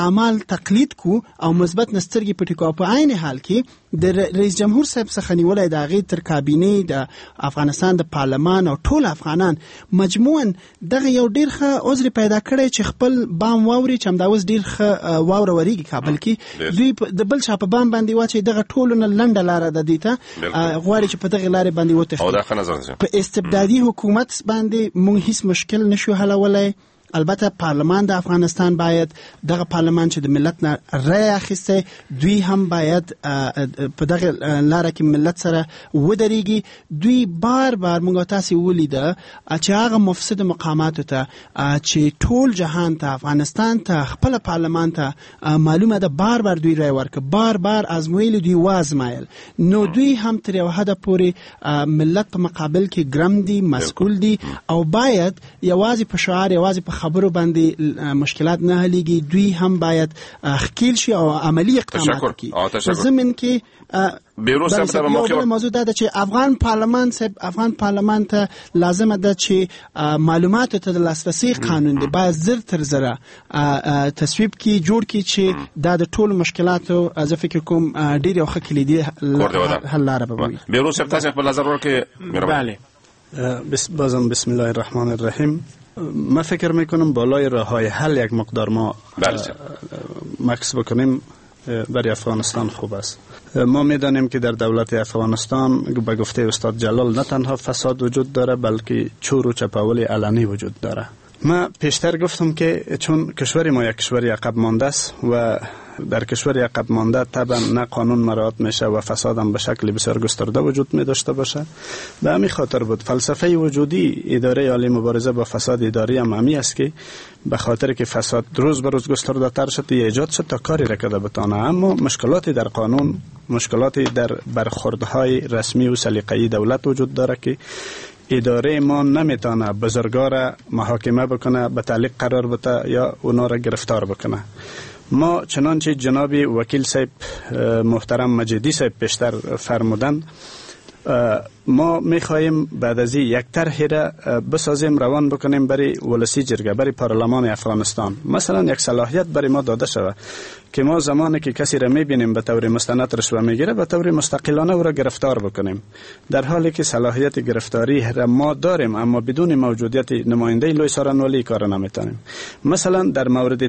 اعمال تقلید کو او مثبت نه سترګې پټې کو. په عین حال کې د رئیس جمهور صاحب څخه نیولی د هغې تر کابینې، د افغانستان د پارلمان او ټول افغانان مجموعاً دغه یو ډېر ښه عذر پیدا کړی چې خپل بام واوري، چې همدا اوس ډېر ښه واوره ورېږي کابل کې، دوی د بل چا په بام باندې واچوي. دغه ټولو نه لنډه لاره ده دوی ته، غواړي چې په دغه لارې باندې وتښتي. په استبدادي حکومت باندې موږ هیڅ مشکل نشو حلولی. البته پارلمان د افغانستان باید دغه پارلمان چې د ملت نه رای اخیستی دوی هم باید په دغه لاره کې ملت سره ودرېږي. دوی بار بار موږ تاسې ولیده چې هغه مفسد مقاماتو ته چې ټول جهان ته، افغانستان ته، خپل پارلمان ته معلومه ده، بار بار دوی رای ورکړه، بار بار ازمویل، دوی وازمایل. نو دوی هم تر یو حده پورې ملت په مقابل کې ګرم دي، مسؤل دي او باید یوازې په شعار، یوازې په خبرو باندې مشکلات نه حلېږي. دوی هم باید ښکیل شي او عملي اقدامات وکړي. په ضمن کې بله موضوع دا ده چې افغان پارلمان صاحب، افغان پارلمان ته لازمه ده چې معلوماتو ته د لاسرسي قانون دی باید زر تر زره تصویب کړي، جوړ کړي چې دا د ټولو مشکلاتو زه فکر کوم ډېر یو ښه کلیدي حل لاره به وي. بیروز صاحب تاسو خپل نظر ورکړئ. بله. بازم بسم الله الرحمن الرحیم. من فکر میکنم بالای راه‌های حل یک مقدار ما مکس بکنیم برای افغانستان خوب است. ما میدانیم که در دولت افغانستان به گفته استاد جلال نه تنها فساد وجود داره بلکه چور و چپاول علنی وجود داره. من پیشتر گفتم که چون کشور ما یک کشور عقب مانده است و در کشور عقب مانده طبعا نه قانون مراعات میشه و فساد هم به شکل بسیار گسترده وجود می داشته باشه. به همین خاطر بود فلسفه وجودی اداره عالی مبارزه با فساد اداری هم همی است که به خاطر که فساد روز به روز گسترده تر شد ایجاد شد تا کاری را کرده بتانه. اما مشکلاتی در قانون، مشکلاتی در برخوردهای رسمی و سلیقه‌ای دولت وجود داره که اداره ما نمیتونه بزرگا را محاکمه بکنه، به تعلیق قرار بده یا اونا را گرفتار بکنه. ما چنانچه جناب وکیل صاحب محترم مجیدی صاحب پیشتر فرمودن، ما میخواهیم بعد از یک طرح را بسازیم، روان بکنیم برای ولسی جرگه، برای پارلمان افغانستان. مثلا یک صلاحیت برای ما داده شود که ما زمانی که کسی را میبینیم به طور مستند رشوه میگیره، به طور مستقلانه او را گرفتار بکنیم، در حالی که صلاحیت گرفتاری را ما داریم، اما بدون موجودیت نماینده لوی سارنوالی کار نمیتونیم. مثلا در مورد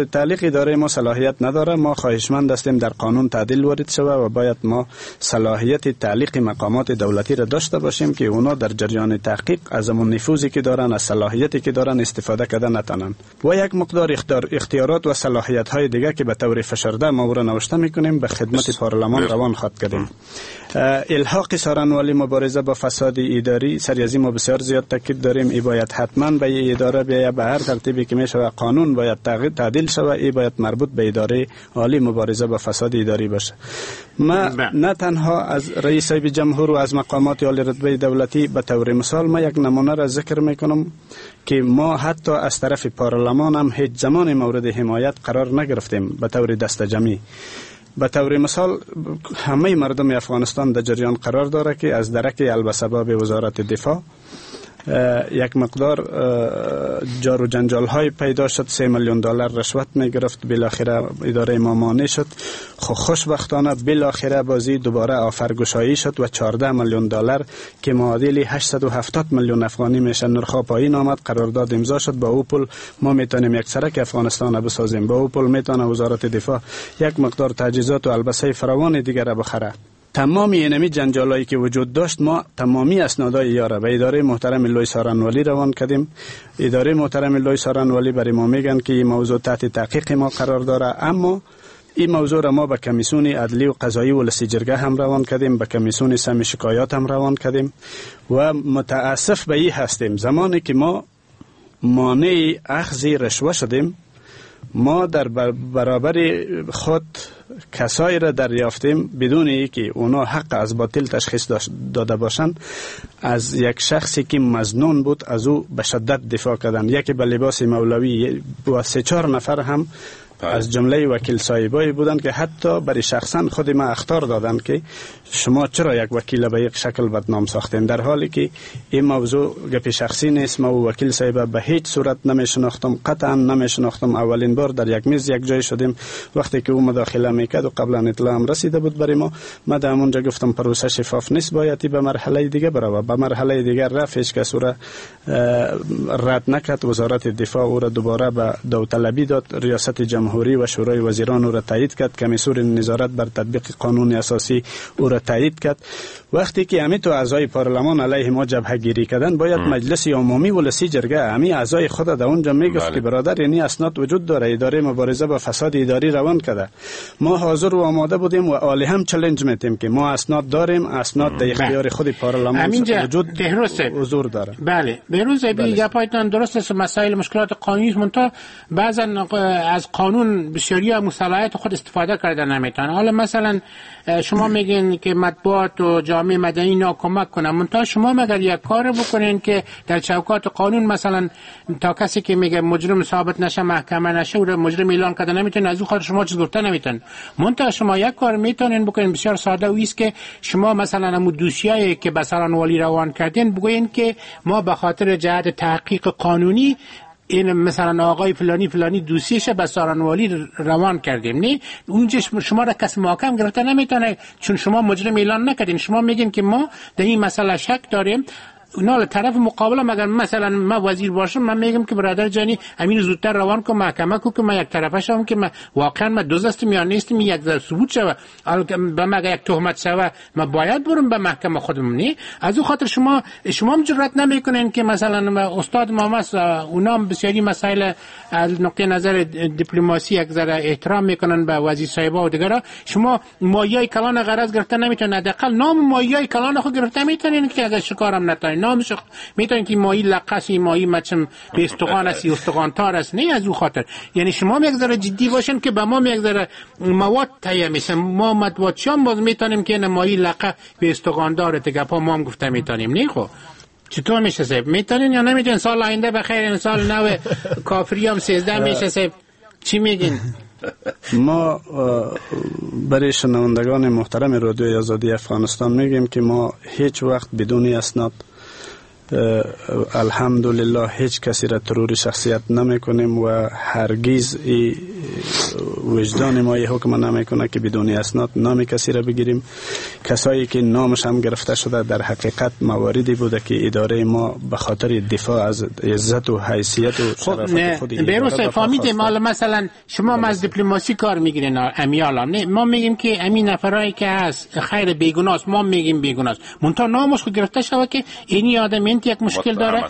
تعلیق، اداره ما صلاحیت نداره. ما خواهشمند هستیم در قانون تعدیل وارد شود و باید ما صلاحیت تعلیق مقامات دولتی را داشته باشیم که اونا در جریان تحقیق از اون نفوذی که دارن، از صلاحیتی که دارن استفاده کردن نتونن، و یک مقدار اختیارات و صلاحیت های دیگه که به طور فشرده ما را نوشته میکنیم به خدمت پارلمان روان خواهد کردیم. الحاق سارنوالی مبارزه با فساد اداری، سر از این ما بسیار زیاد تاکید داریم. ای باید حتما به اداره بیاید، به هر ترتیبی که میشه قانون باید تغییر تعدیل شود، ای باید مربوط به اداره عالی مبارزه با فساد اداری باشه. ما نه تنها از رئیس جمهور و از مقامات عالی رتبه دولتی، به طور مثال ما یک نمونه را ذکر میکنم که ما حتی از طرف پارلمان هم هیچ زمان مورد حمایت قرار نگرفتیم به طور دستجمعی. به طور مثال همه مردم افغانستان در جریان قرار داره که از درک البسباب وزارت دفاع یک مقدار جار و جنجال های پیدا شد، 3 میلیون دلار رشوت می گرفت، بالاخره اداره ما مانع شد. خب خوشبختانه بالاخره بازی دوباره آفرگشایی شد و 14 میلیون دلار که معادل 870 میلیون افغانی میشه نرخ پایین آمد، قرارداد امضا شد. با او پول ما میتونیم یک سرک افغانستان بسازیم، با او پول میتونه وزارت دفاع یک مقدار تجهیزات و البسه فراوان دیگر را بخره. تمامی اینمی جنجالایی که وجود داشت، ما تمامی اسنادای یاره به اداره محترم لوی سارنوالی روان کردیم. اداره محترم لوی سارنوالی برای ما میگن که این موضوع تحت تحقیق ما قرار داره، اما این موضوع را ما به کمیسیون عدلی و قضایی ولسی جرگه هم روان کردیم، به کمیسیون سم شکایات هم روان کردیم و متاسف به این هستیم زمانی که ما مانع اخذ رشوه شدیم، ما در برابر خود کسایی را دریافتیم بدون اینکه اونا حق از باطل تشخیص داده باشند. از یک شخصی که مظنون بود از او به شدت دفاع کردن، یکی به لباس مولوی و 3-4 نفر هم از جمله وکیل صاحبایی بودند که حتی برای شخصا خود ما اخطار دادند که شما چرا یک وکیل به یک شکل بدنام ساختین، در حالی که این موضوع گپ شخصی نیست. ما و وکیل صاحب به هیچ صورت نمیشناختم، قطعا نمیشناختم. اولین بار در یک میز یک جای شدیم وقتی که او مداخله میکرد و قبلا اطلاع هم رسیده بود برای ما. ما در همونجا گفتم پروسه شفاف نیست، باید به مرحله دیگه بره. به مرحله دیگر رفت، هیچ کس او را رد نکرد. وزارت دفاع او را دوباره به داوطلبی داد، ریاست جمهوری و شورای وزیران او را تایید کرد، کمیسیون نظارت بر تطبیق قانون اساسی او را تایید کرد. وقتی که همین تو اعضای پارلمان علیه ما جبهه گیری کردن، باید مجلس عمومی ولسی جرگه همین اعضای خود در اونجا میگفت که برادر یعنی اسناد وجود داره، اداره مبارزه با فساد اداری روان کرده. ما حاضر و آماده بودیم و عالی هم چالش میتیم که ما اسناد داریم، اسناد در اختیار خود پارلمان وجود حضور داره. بله بهروز گپایتان درست است، مسائل مشکلات قانونی منتها بعضا از قانون بسیاری از صلاحیت خود استفاده کردن نمیتونن. حالا مثلا شما میگین که مطبوعات و جامعه مدنی اینا کمک کنن، منتها شما مگر یک کار بکنین که در چوکات قانون مثلا تا کسی که میگه مجرم ثابت نشه محکمه نشه او را مجرم اعلان کرده نمیتونه، از او خاطر شما چیز گفته نمیتونن. منتها شما یک کار میتونین بکنین بسیار ساده، و است که شما مثلا همون دوسیه‌ای که به سارنوالی روان کردین بگوین که ما به خاطر جهت تحقیق قانونی این مثلا آقای فلانی فلانی دوسیش به سارنوالی روان کردیم. نه اونجا شما را کس محاکم گرفته نمیتونه، چون شما مجرم اعلان نکردین. شما میگین که ما در این مسئله شک داریم، اونا طرف مقابل مگر مثلا ما وزیر باشم من میگم که برادر جانی امین زودتر روان کن محکمه کو که من یک طرفه شم که من واقعا ما دزد هستم یا نیستم، یک ذره ثبوت شوه، به مگه یک تهمت شوه ما باید برم به محکمه خودم. نه از او خاطر شما هم جرأت نمیکنین که مثلا استاد ما مس اونا هم بسیاری مسائل از نقطه نظر دیپلماسی یک ذره احترام میکنن به وزیر صاحبا و دیگرا. شما مایه کلان غرض گرفته نمیتونن، حداقل نام مایه کلان خود گرفته میتونین که اگر شکارم نتونین نامش میتونین که ماهی لقس، ماهی مچم به استخوان است، استخوان تار است. نه از او خاطر یعنی شما یک ذره جدی باشین که به ما یک ذره مواد تهیه میشه، ما مطبوعاتچیان باز میتونیم که نه ماهی لقه به استخوان داره دیگه پا ما هم گفته میتونیم. نه خب چطور میشه صاحب؟ میتونین یا نمیتونین؟ سال آینده بخیر، سال نو کافری هم 13 میشه صاحب، چی میگین؟ ما برای شنوندگان محترم رادیوی آزادی افغانستان میگیم که ما هیچ وقت بدون اسناد الحمدلله هیچ کسی را ترور شخصیت نمی کنیم و هرگز وجدان ما یه حکم نمیکنه که بدون اسناد نام کسی را بگیریم. کسایی که نامش هم گرفته شده در حقیقت مواردی بوده که اداره ما به خاطر دفاع از عزت و حیثیت و شرافت خود بهروز فهمیدیم. حالا مثلا شما از دیپلماسی کار میگیرین امیالا، نه ما میگیم که امین نفرایی که هست خیر بیگناست، ما میگیم بیگناست، منتها نامش خود گرفته شوه که اینی آدم این یک مشکل داره،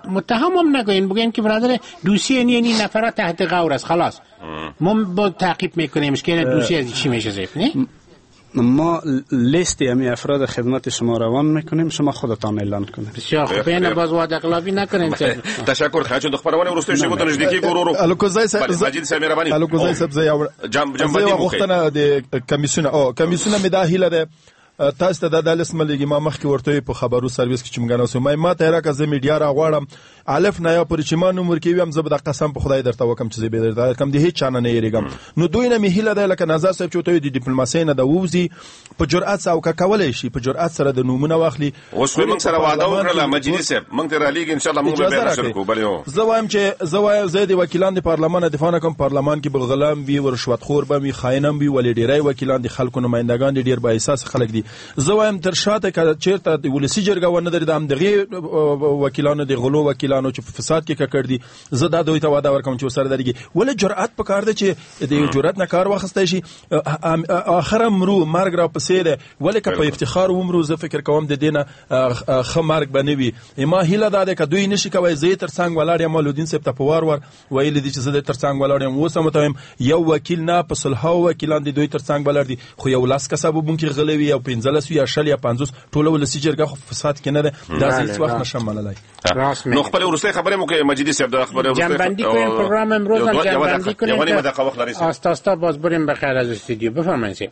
متهم هم نگوین، بگین که برادر دوسیه اینی نفرا تحت غور است، خلاص ما با تعقیب میکنیم که دوسیه از چی میشه زیف. نه ما لیست امی افراد خدمت شما روان میکنیم، شما خودتان اعلان کنید. بسیار خوب، این باز وعده خلافی نکنین. تشکر خواهش د خبرونه ورسته شی بوته نږدې کیږو ورو. الکوزای صاحب، مجید صاحب مهرباني. الکوزای صاحب زه یو غوښتنه د کمیسیون او کمیسیون مې دا هیله ده تاسو ته دا لس ملګری ما مخکې ورته په خبرو سرویس کې چې موږ ناسو ما ته راکه زه میډیا را غواړم الف نه یا پورې چې ما نوم ورکوي هم زه به د قسم په خدای درته وکم چې زه به درته کوم د هیڅ چا نه نه یریږم. نو دوی نه مې هیله ده لکه نظر صاحب چې ته د ډیپلوماسۍ نه د ووځي په جرأت او که کولای شي په جرأت سره د نومونه واخلي. اوس خو موږ سره وعده وکړه مجیدي صاحب، موږ ته را لیږي ان شاء الله موږ به نشر کوو. بله زه وایم چې زه وایم زه د وکیلان د پارلمان دفاع نه کوم، پارلمان کې به غلام وي، رشوتخور به وي، خاینم وي، ولې ډیری وکیلان د خلکو نمایندګان دي، ډیر با احساس خلک دي. زه وایم تر شاته که چیرته د ولسي جرګه ونه درېده هم دغې وکیلانو د غلو وکیلانو چې په فساد کې ککړ دي، زه دا دوی ته وعده ورکوم چې ورسره درېږي. ولې جرأت پکار دی چې د جرأت نه کار واخیستی شي. اخر مرو مرګ را پسې دی، ولې که په افتخار ومرو زه فکر کوم د دې نه ښه مرګ به نه وي. ما هیله دا ده که دوی نشي کوی زه یې تر څنګ ولاړ یم. لودین صاحب ته په وار وار ویلي دي چې زه د تر څنګ ولاړ یم، اوس هم ورته وایم یو وکیل نه په سلهاو وکیلان د دوی تر څنګ ولاړ دي، خو یو لس کسه به مونږ کې غلي وي او 15 یا 20 یا 50 ټوله ولسي جرګه خو فساد کې نه ده، دا زه هیڅ وخت نشم منلای. نو خپل وروستۍ خبرې مو کوي مجیدي صاحب، د خبرې جنبندی کنیم پروگرام امروز هم جنبندی کنیم آستا آستا باز بریم بخیر از استودیو. بفرمایید.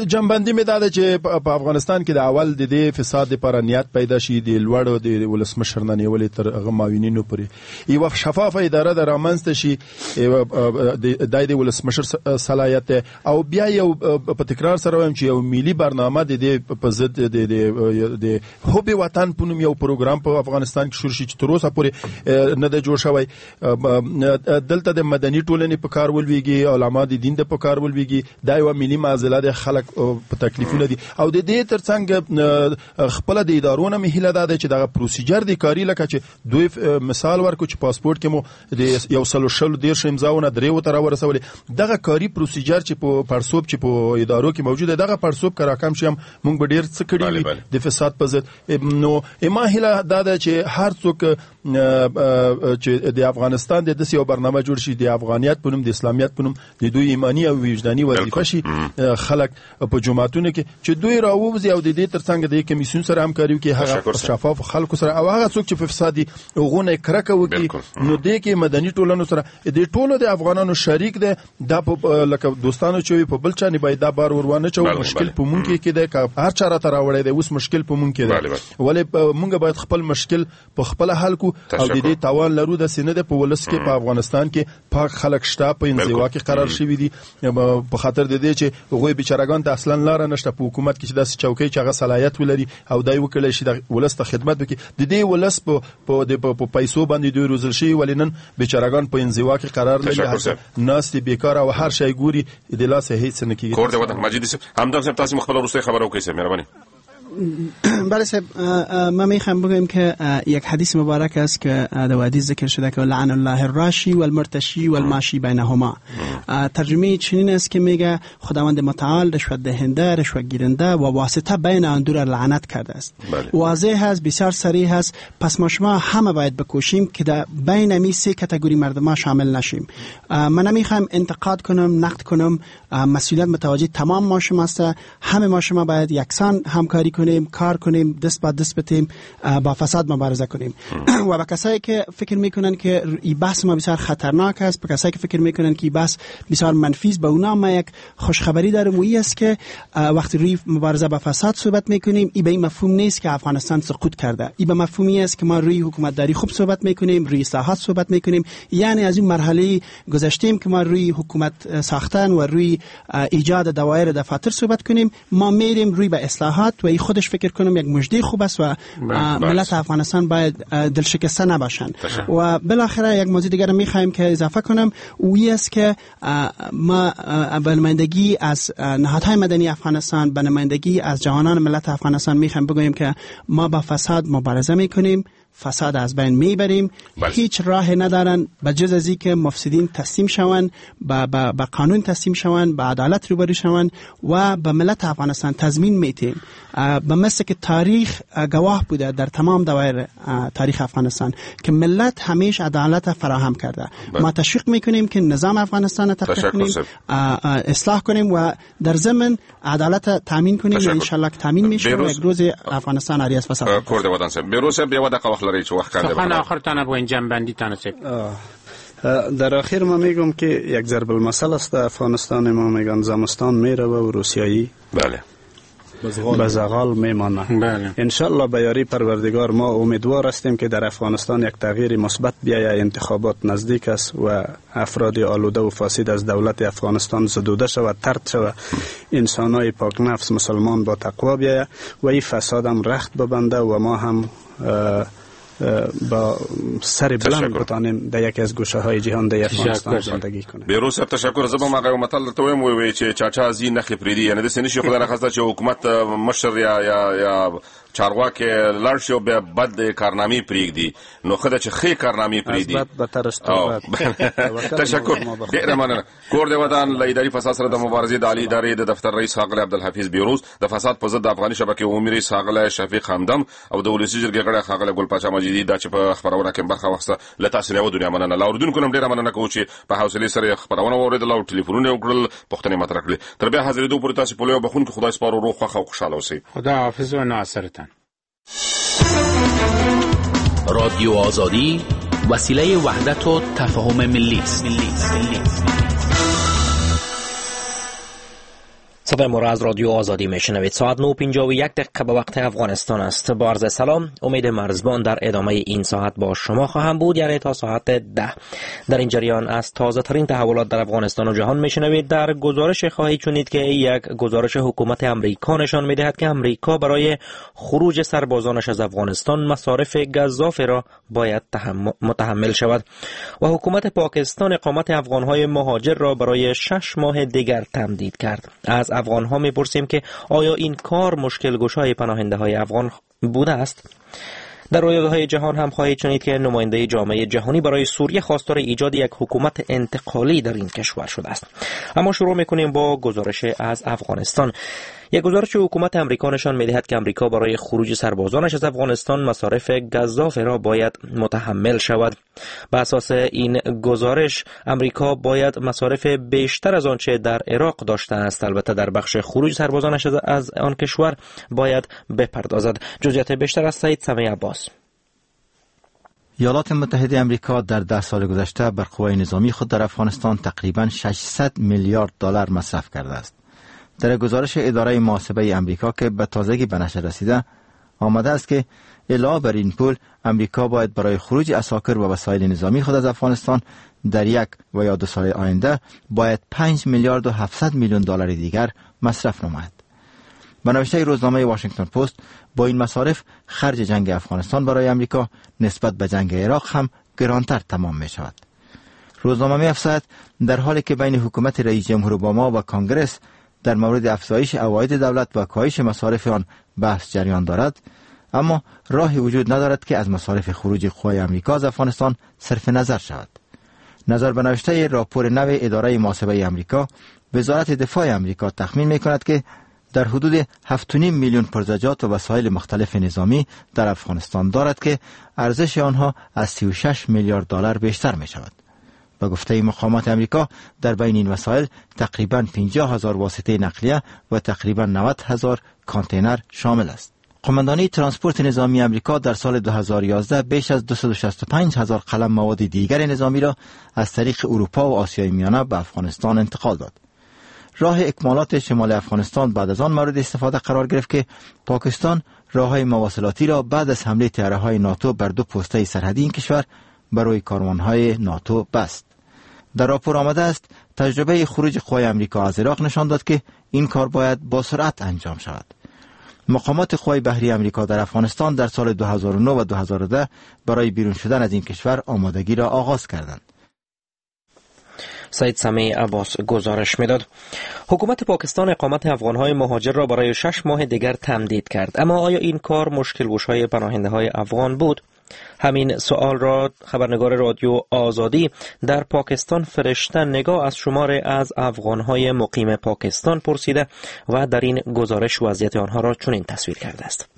جنبندی مې دا ده چې په افغانستان کې د اول د دې فساد لپاره نیت پیدا شي، د لوړو د ولسمشر نه نیولې تر هغه معاونینو پورې یوه شفافه اداره د رامنځته شي، د د ولسمشر صلاحیت ده. او بیا یو په تکرار سره وایم چې یو ملي برنامه د دې په ضد د حب وطن په نوم یو پروګرام په افغانستان کې شروع شي چې تر اوسه پورې نه دی جوړ شوی. دلته د مدني ټولنې په کار ولویږي، علما د دین د په کار ولویږي، دا یوه ملي معضله ده، خلک په تکلیفونه دي. او د دې ترڅنګ خپل د ادارو نه مې هیله دا ده چې دغه پروسیجر د کاري لکه چې دوی مثال ورکړو چې پاسپورت کې مو د 130 امضاونه 3 ته راورسولې، دغه کاري پروسیجر چې په پړسوب چې په ادارو کې موجود دی دغه پړسوب که راکم شي هم موږ به ډېر څه کړي وي د فساد په ضد. نو ما هیله دا ده چې هر څوک چې د افغانستان د داسې یو برنامه جوړ شي د افغانیت په نوم، د اسلامیت په نوم، د دوی ایماني او وجداني وظیفه شي خلک په جوماتونو کې چې دوی راووځي او د دې ترڅنګ د کمیسیون سره همکاري وکړي، هغه شفاف خلکو سره او هغه څوک چې په فساد دي هغو نه کرکه وکړي. نو دې کې مدني ټولنو سره د ټولو د افغانانو شریک دی. دا لکه دوستانو چې وي په بل چا نه باید دا بار ور وانه چوو. مشکل په مونږ کې دی، که هر چا راته راوړی دی اوس مشکل په مونږ کې دی، ولې مونږ باید خپل مشکل په خپله حل کړو او د دې توان لرو. داسې نه دی په ولس کې په افغانستان کې پاک خلک شته، په انزوا کې قرار شوي دي په خاطر د دې چې هغوی بیچارهګان ته اصلا لاره نشته په حکومت کې چې داسې چوکۍ چې هغه صلاحیت ولري او دی وکړلی شي د ولس ته خدمت وکړي. د دې ولس په پیسو باندې دوی روزل شوي، ولې نن بیچارهګان په انزوا کې قرار لري، ناست دي بیکاره او هر شی ګوري، د لاسه هیڅ نه کېږي. کور دې ودان مجیدي صاحب. همدم صاحب تاسو خپله وروستۍ خبره وکړئ صاحب، مهرباني. بله صاحب، من میخوام بگویم که یک حدیث مبارک است که در حدیث ذکر شده که لعن الله الراشی والمرتشی والماشی بینهما. ترجمه چنین است که میگه خداوند متعال رشوت دهنده، رشوت گیرنده و واسطه بین آن دو را لعنت کرده است. واضح است، بسیار صریح است. پس ما شما همه باید بکوشیم که در بین می سه کاتگوری مردم شامل نشیم. من نمیخوام انتقاد کنم، نقد کنم، مسئولیت متوجه تمام ما شما است. همه ما شما باید یکسان همکاری کنیم، کار کنیم، دست با دست بتیم، با فساد مبارزه کنیم. و با کسایی که فکر میکنن که این بحث ما بسیار خطرناک است، با کسایی که فکر میکنن که این بحث بسیار منفی است، با اونا ما یک خوشخبری دارم و این است که وقتی روی مبارزه با فساد صحبت میکنیم، این به این مفهوم نیست که افغانستان سقوط کرده. این به مفهومی است که ما روی حکومتداری خوب صحبت میکنیم، روی اصلاحات صحبت میکنیم. یعنی از این مرحله گذشتیم که ما روی حکومت ساختن و روی ایجاد دوایر دفاتر صحبت کنیم، ما میریم روی به اصلاحات و این خود خودش فکر کنم یک مژده خوب است و ملت افغانستان باید دلشکسته نباشند. و بالاخره یک موضوع دیگر میخوایم که اضافه کنم، اوی است که ما به نمایندگی از نهادهای مدنی افغانستان، به نمایندگی از جوانان ملت افغانستان میخوایم بگوییم که ما با فساد مبارزه میکنیم، فساد از بین میبریم. هیچ راه ندارن به جز از اینکه مفسدین تسلیم شوند، به قانون تسلیم شوند، به عدالت روبرو شوند و به ملت افغانستان تضمین میتیم. به مثل که تاریخ گواه بوده در تمام دوایر تاریخ افغانستان که ملت همیشه عدالت فراهم کرده. ما تشویق میکنیم که نظام افغانستان را تقویت کنیم، اصلاح کنیم و در ضمن عدالت تامین کنیم. ان شاء الله که تامین میشه و یک روز افغانستان عاری از فساد. لري چې وخت کم دی. سخن آخر تانه بگوین، جنبندی تانه صاحب. در آخر ما میگم که یک ضرب المثل است در افغانستان، ما میگن زمستان میره و روسیایی بله به زغال میمانه. بله. انشالله به یاری پروردگار ما امیدوار هستیم که در افغانستان یک تغییر مثبت بیاید. انتخابات نزدیک است و افراد آلوده و فاسد از دولت افغانستان زدوده شود، طرد شود، انسانای پاک نفس مسلمان با تقوا بیاید و این فساد هم رخت ببنده و ما هم با سر بلند بتانیم در یکی از گوشه های جهان در افغانستان زندگی کنیم. بیروز صاحب تشکر. زه به هغه یو متل درته وایم، وایي چې چاچا ځي نښې پرېږدي، یعنې داسې نه شي خدای نخواسته چې حکومت مشر یا چارواکي لاړ شي او بیا بد کارنامې پرېږدي، نو ښه ده چې ښې کارنامې پرېږدي. از بد بتر است بد. تشکر، ډېره مننه. کور دی ودان. له اداري فساد سره د مبارزې د عالي ادارې د دفتر رئیس ښاغلی عبدالحفیظ بیروز، د فساد په ضد د افغاني شبکې عمومي رئیس ښاغلی شفیق همدم او د ولسي جرګې غړی ښاغلی ګل پاچا مجیدي دا چې په خپرونه کې برخه واخیسته، له تاسو نه یوه دنیا مننه. له اورېدونکو نه هم ډېره مننه کوو چې په حوصلې سره یې خپرونه واورېدله او ټلیفونونه یې وکړل، پوښتنې مطرح کړې. تر بیا حاضرېدو پورې تاسو په لوی او بخښونکي خدای سپارو، روغ، خوښ او خوشحاله اوسئ. خدا حافظ و ناصرتان. رادیو آزادی وسیله وحدت و تفاهم ملی است. صدای ما را از رادیو آزادی میشنوید. ساعت 9:51 به وقت افغانستان است. با عرض سلام، امید مرزبان در ادامه این ساعت با شما خواهم بود، یعنی تا ساعت 10. در این جریان از تازه ترین تحولات در افغانستان و جهان میشنوید. در گزارش خواهید شنید که یک گزارش حکومت امریکا نشان میدهد که امریکا برای خروج سربازانش از افغانستان مصارف گزاف را باید متحمل شود و حکومت پاکستان اقامت افغانهای مهاجر را برای 6 ماه دیگر تمدید کرد. از افغان ها میپرسیم که آیا این کار مشکل گشای پناهنده های افغان بوده است؟ در رویدادهای جهان هم خواهید شنید که نماینده جامعه جهانی برای سوریه خواستار ایجاد یک حکومت انتقالی در این کشور شده است. اما شروع میکنیم با گزارش از افغانستان. یک گزارش حکومت امریکا نشان میدهد که امریکا برای خروج سربازانش از افغانستان مصارف گزاف را باید متحمل شود. به اساس این گزارش امریکا باید مصارف بیشتر از آنچه در عراق داشته است، البته در بخش خروج سربازانش از آن کشور باید بپردازد. جزئیات بیشتر از سعید سمیع عباس. ایالات متحده امریکا در 10 سال گذشته بر قوای نظامی خود در افغانستان تقریباً 600 میلیارد دلار مصرف کرده است. در گزارش اداره محاسبه امریکا که به تازگی به نشر رسیده آمده است که علاوه بر این پول امریکا باید برای خروج عساکر و وسایل نظامی خود از افغانستان در 1 و یا 2 سال آینده باید 5 میلیارد و 700 میلیون دلار دیگر مصرف نماید. به نوشته روزنامه واشنگتن پست با این مصارف خرج جنگ افغانستان برای امریکا نسبت به جنگ عراق هم گرانتر تمام می شود. روزنامه می افزاید در حالی که بین حکومت رئیس جمهور اوباما و کانگرس در مورد افزایش عواید دولت و کاهش مصارف آن بحث جریان دارد، اما راهی وجود ندارد که از مصارف خروج قوای امریکا از افغانستان صرف نظر شود. نظر به نوشته راپور نو اداره محاسبه امریکا، وزارت دفاع امریکا تخمین می‌کند که در حدود 7.5 میلیون پرزجات و وسایل مختلف نظامی در افغانستان دارد که ارزش آنها از 36 میلیارد دلار بیشتر می شود. به گفته مقامات امریکا در بین این وسایل تقریباً 50,000 واسطه نقلیه و تقریباً 90,000 کانتینر شامل است. قماندانی ترانسپورت نظامی امریکا در سال 2011 بیش از 265,000 قلم مواد دیگر نظامی را از طریق اروپا و آسیای میانه به افغانستان انتقال داد. راه اکمالات شمال افغانستان بعد از آن مورد استفاده قرار گرفت که پاکستان راه‌های مواصلاتی را بعد از حمله طیاره‌های ناتو بر 2 پوسته سرحدی این کشور برای کاروان‌های ناتو بست. در راپور آمده است تجربه خروج قوای امریکا از عراق نشان داد که این کار باید با سرعت انجام شود. مقامات قوای بحری امریکا در افغانستان در سال 2009 و 2010 برای بیرون شدن از این کشور آمادگی را آغاز کردند. سید سمیع عباس گزارش میداد. حکومت پاکستان اقامت افغانهای مهاجر را برای 6 ماه دیگر تمدید کرد، اما آیا این کار مشکل گشای پناهنده های افغان بود؟ همین سوال را خبرنگار رادیو آزادی در پاکستان فرشته نگاه از شمار از افغانهای مقیم پاکستان پرسیده و در این گزارش وضعیت آنها را چنین تصویر کرده است.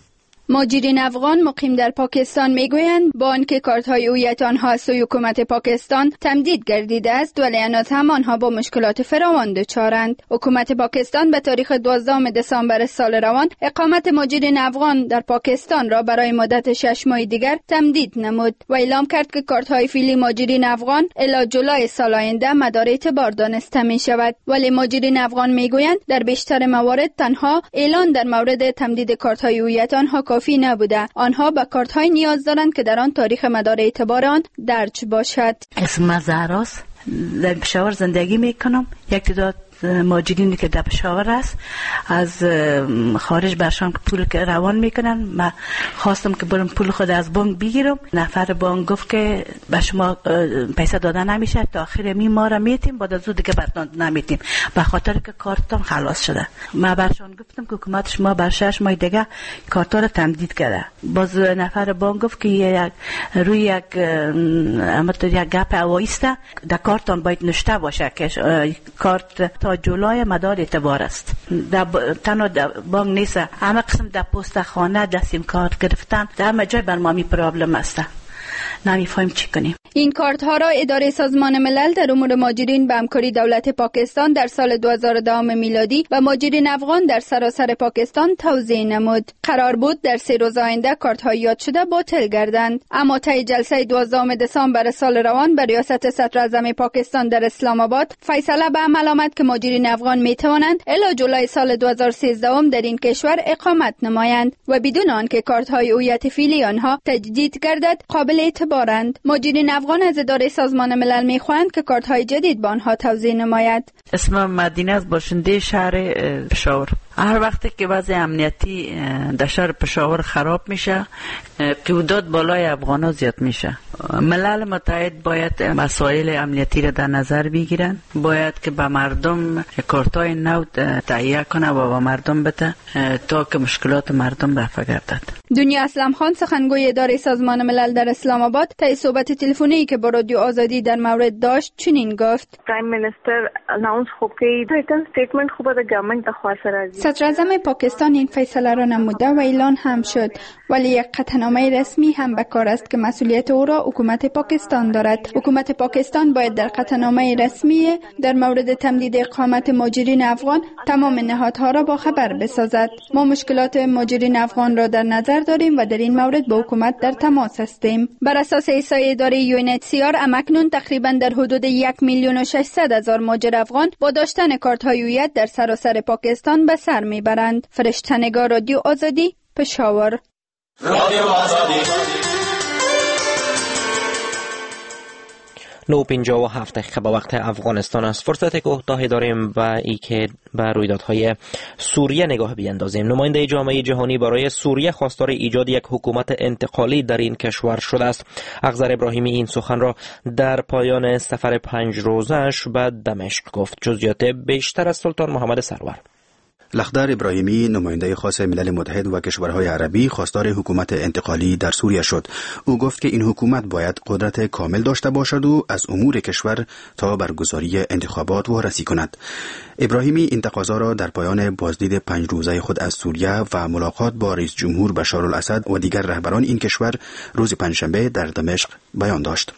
مهاجرین افغان مقیم در پاکستان میگویند با آنکه کارت‌های هویت آنها از سوی حکومت پاکستان تمدید گردیده است، ولی هنوز هم آنها با مشکلات فراوان دچارند. حکومت پاکستان به تاریخ 12 دسامبر سال روان اقامت مهاجرین افغان در پاکستان را برای مدت 6 ماه دیگر تمدید نمود و اعلام کرد که کارت‌های فعلی مهاجرین افغان الی جولای سال آینده مدار اعتبار دانسته می شود. ولی مهاجرین افغان میگویند در بیشتر موارد تنها اعلان در مورد تمدید کارت‌های هویت آنها کافی نبوده. آنها به کارت‌های نیاز دارند که در آن تاریخ مدار اعتبار آن درج باشد. اسم زهراست، در پشاور زندگی میکنم. یک تعداد مهاجرینی که در پشاور است از خارج برشان پول که روان میکنن، من خواستم که برم پول خود از بانک بگیرم. نفر بانک گفت که به شما پیسه داده نمیشه، تا آخر می ما را میتیم، بعد از او دیگه برتان نمیتیم به خاطر که کارتان خلاص شده. من برشان گفتم که حکومت شما بر 6 ماه دیگه کارت را تمدید کرده. باز نفر بانک گفت که یک روی یک یک گپ هوایی است، در کارتان باید نوشته باشه که کارت تا جولای مدار اعتبار است. در تنها بانک نیست، همه قسم در پست خانه، در سیم کارت گرفتن، در همه جای بر ما می problem است. نمیفهمیم چی کنیم. این کارت ها را اداره سازمان ملل در امور مهاجرین به همکاری دولت پاکستان در سال 2010 میلادی و مهاجرین افغان در سراسر پاکستان توزیع نمود. قرار بود در 3 روز آینده کارت های یاد شده باطل گردند، اما طی جلسه 12 دسامبر سال روان به ریاست صدر اعظم پاکستان در اسلام آباد فیصله به عمل آمد که مهاجرین افغان می توانند الی جولای سال 2013 در این کشور اقامت نمایند و بدون آنکه کارت های هویت فعلی آنها تجدید گردد قابل اعتبارند. مهاجرین افغان از اداره سازمان ملل میخواهند که کارت‌های جدید به آنها توزیع نماید. اسمم مدینه است، باشنده شهر پشاور. هر وقتی که وضع امنیتی در شهر پشاور خراب میشه، قیودات بالای افغانا زیاد میشه. ملل متحد باید مسائل امنیتی را در نظر بگیرن، باید که به مردم کارت‌های نو تهیه کنه و به مردم بده تا که مشکلات مردم رفع گردد. دنیا اسلم خان سخنگوی اداره سازمان ملل در اسلام آباد طی صحبت تلفنی که با رادیو آزادی در مورد داشت چنین گفت: Prime Minister announce خو کوي written statement خو به د government خوا سره. صدر اعظم پاکستان این فیصله را نموده و اعلان هم شد، ولی یک قطعنامه رسمی هم به کار است که مسئولیت او را حکومت پاکستان دارد. حکومت پاکستان باید در قطعنامه رسمی در مورد تمدید اقامت مهاجرین افغان تمام نهادها را با خبر بسازد. ما مشکلات مهاجرین افغان را در نظر داریم و در این مورد با حکومت در تماس هستیم. بر اساس احصایه اداره UNHCR امکنون تقریبا در حدود 1,600,000 مهاجر افغان با داشتن کارت‌های هویت در سراسر پاکستان به سر میبرند. فرشته نگار، رادیو آزادی، پشاور. رادیو آزادی 9:57 دقیقه به وقت افغانستان است. فرصت کوتاهی داریم و ای که به رویدادهای سوریه نگاه بیندازیم. نماینده جامعه جهانی برای سوریه خواستار ایجاد یک حکومت انتقالی در این کشور شده است. اخضر ابراهیمی این سخن را در پایان سفر 5 روزش به دمشق گفت. جزئیات بیشتر از سلطان محمد سرور. لخدر ابراهیمی نماینده خاص ملل متحد و کشورهای عربی خواستار حکومت انتقالی در سوریه شد. او گفت که این حکومت باید قدرت کامل داشته باشد و از امور کشور تا برگزاری انتخابات وارسی کند. ابراهیمی این تقاضا را در پایان بازدید 5 روزه خود از سوریه و ملاقات با رئیس جمهور بشار الاسد و دیگر رهبران این کشور روز پنجشنبه در دمشق بیان داشت.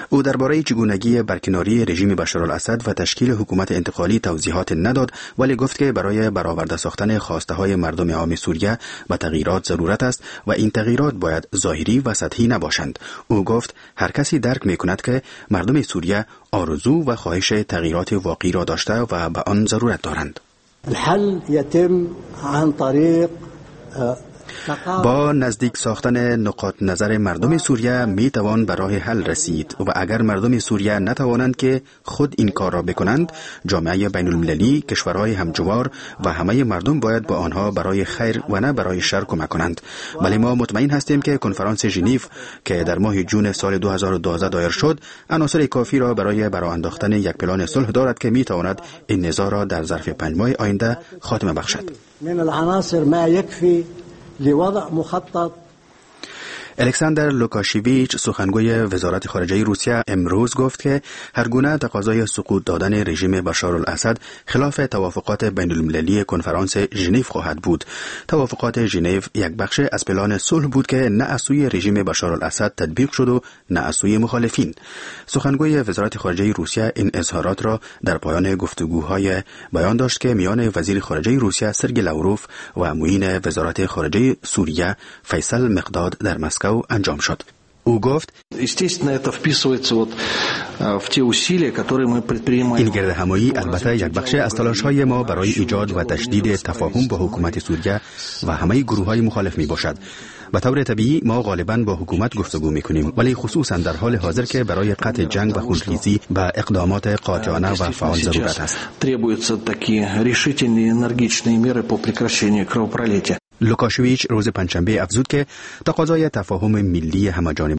او درباره چگونگی برکناری رژیم بشار الاسد و تشکیل حکومت انتقالی توضیحات نداد، ولی گفت که برای برآورده ساختن خواسته های مردم عام سوریه به تغییرات ضرورت است و این تغییرات باید ظاهری و سطحی نباشند. او گفت هر کسی درک می کند که مردم سوریه آرزو و خواهش تغییرات واقعی را داشته و به آن ضرورت دارند. الحل يتم عن طريق با نزدیک ساختن نقاط نظر مردم سوریه می توان به راه حل رسید و اگر مردم سوریه نتوانند که خود این کار را بکنند، جامعه بین المللی، کشورهای همجوار و همه مردم باید با آنها برای خیر و نه برای شر کمک کنند. ولی ما مطمئن هستیم که کنفرانس ژنو که در ماه جون سال 2012 دایر شد، عناصر کافی را برای براه انداختن یک پلان صلح دارد که می تواند این نزاع را در ظرف 5 ماه آینده خاتمه بخشد. من العناصر ما يكفي لوضع مخطط. الکساندر لوکاشیویچ، سخنگوی وزارت خارجه روسیه، امروز گفت که هرگونه تقاضای سقوط دادن رژیم بشار الاسد خلاف توافقات بین المللی کنفرانس ژنو خواهد بود. توافقات ژنو یک بخش از پلان صلح بود که نه از سوی رژیم بشار الاسد تطبیق شد و نه از سوی مخالفین. سخنگوی وزارت خارجه روسیه این اظهارات را در پایان گفتگوهای بیان داشت که میان وزیر خارجه روسیه سرگی لاوروف و معین وزارت خارجه سوریه فیصل مقداد در مسکو انجام شد. او گفت: این گرد همایی البته یک بخش از تلاش‌های ما برای ایجاد و تشدید تفاهم با حکومت سوریه و همه گروه‌های مخالف می باشد. به طور طبیعی ما غالبا با حکومت گفتگو می‌کنیم، ولی خصوصا در حال حاضر که برای قطع جنگ و خونریزی به اقدامات قاطعانه و فعال ضرورت است. لوکاشویچ روز پنجشنبه افزود که تقاضای تفاهم ملی همه‌جانبه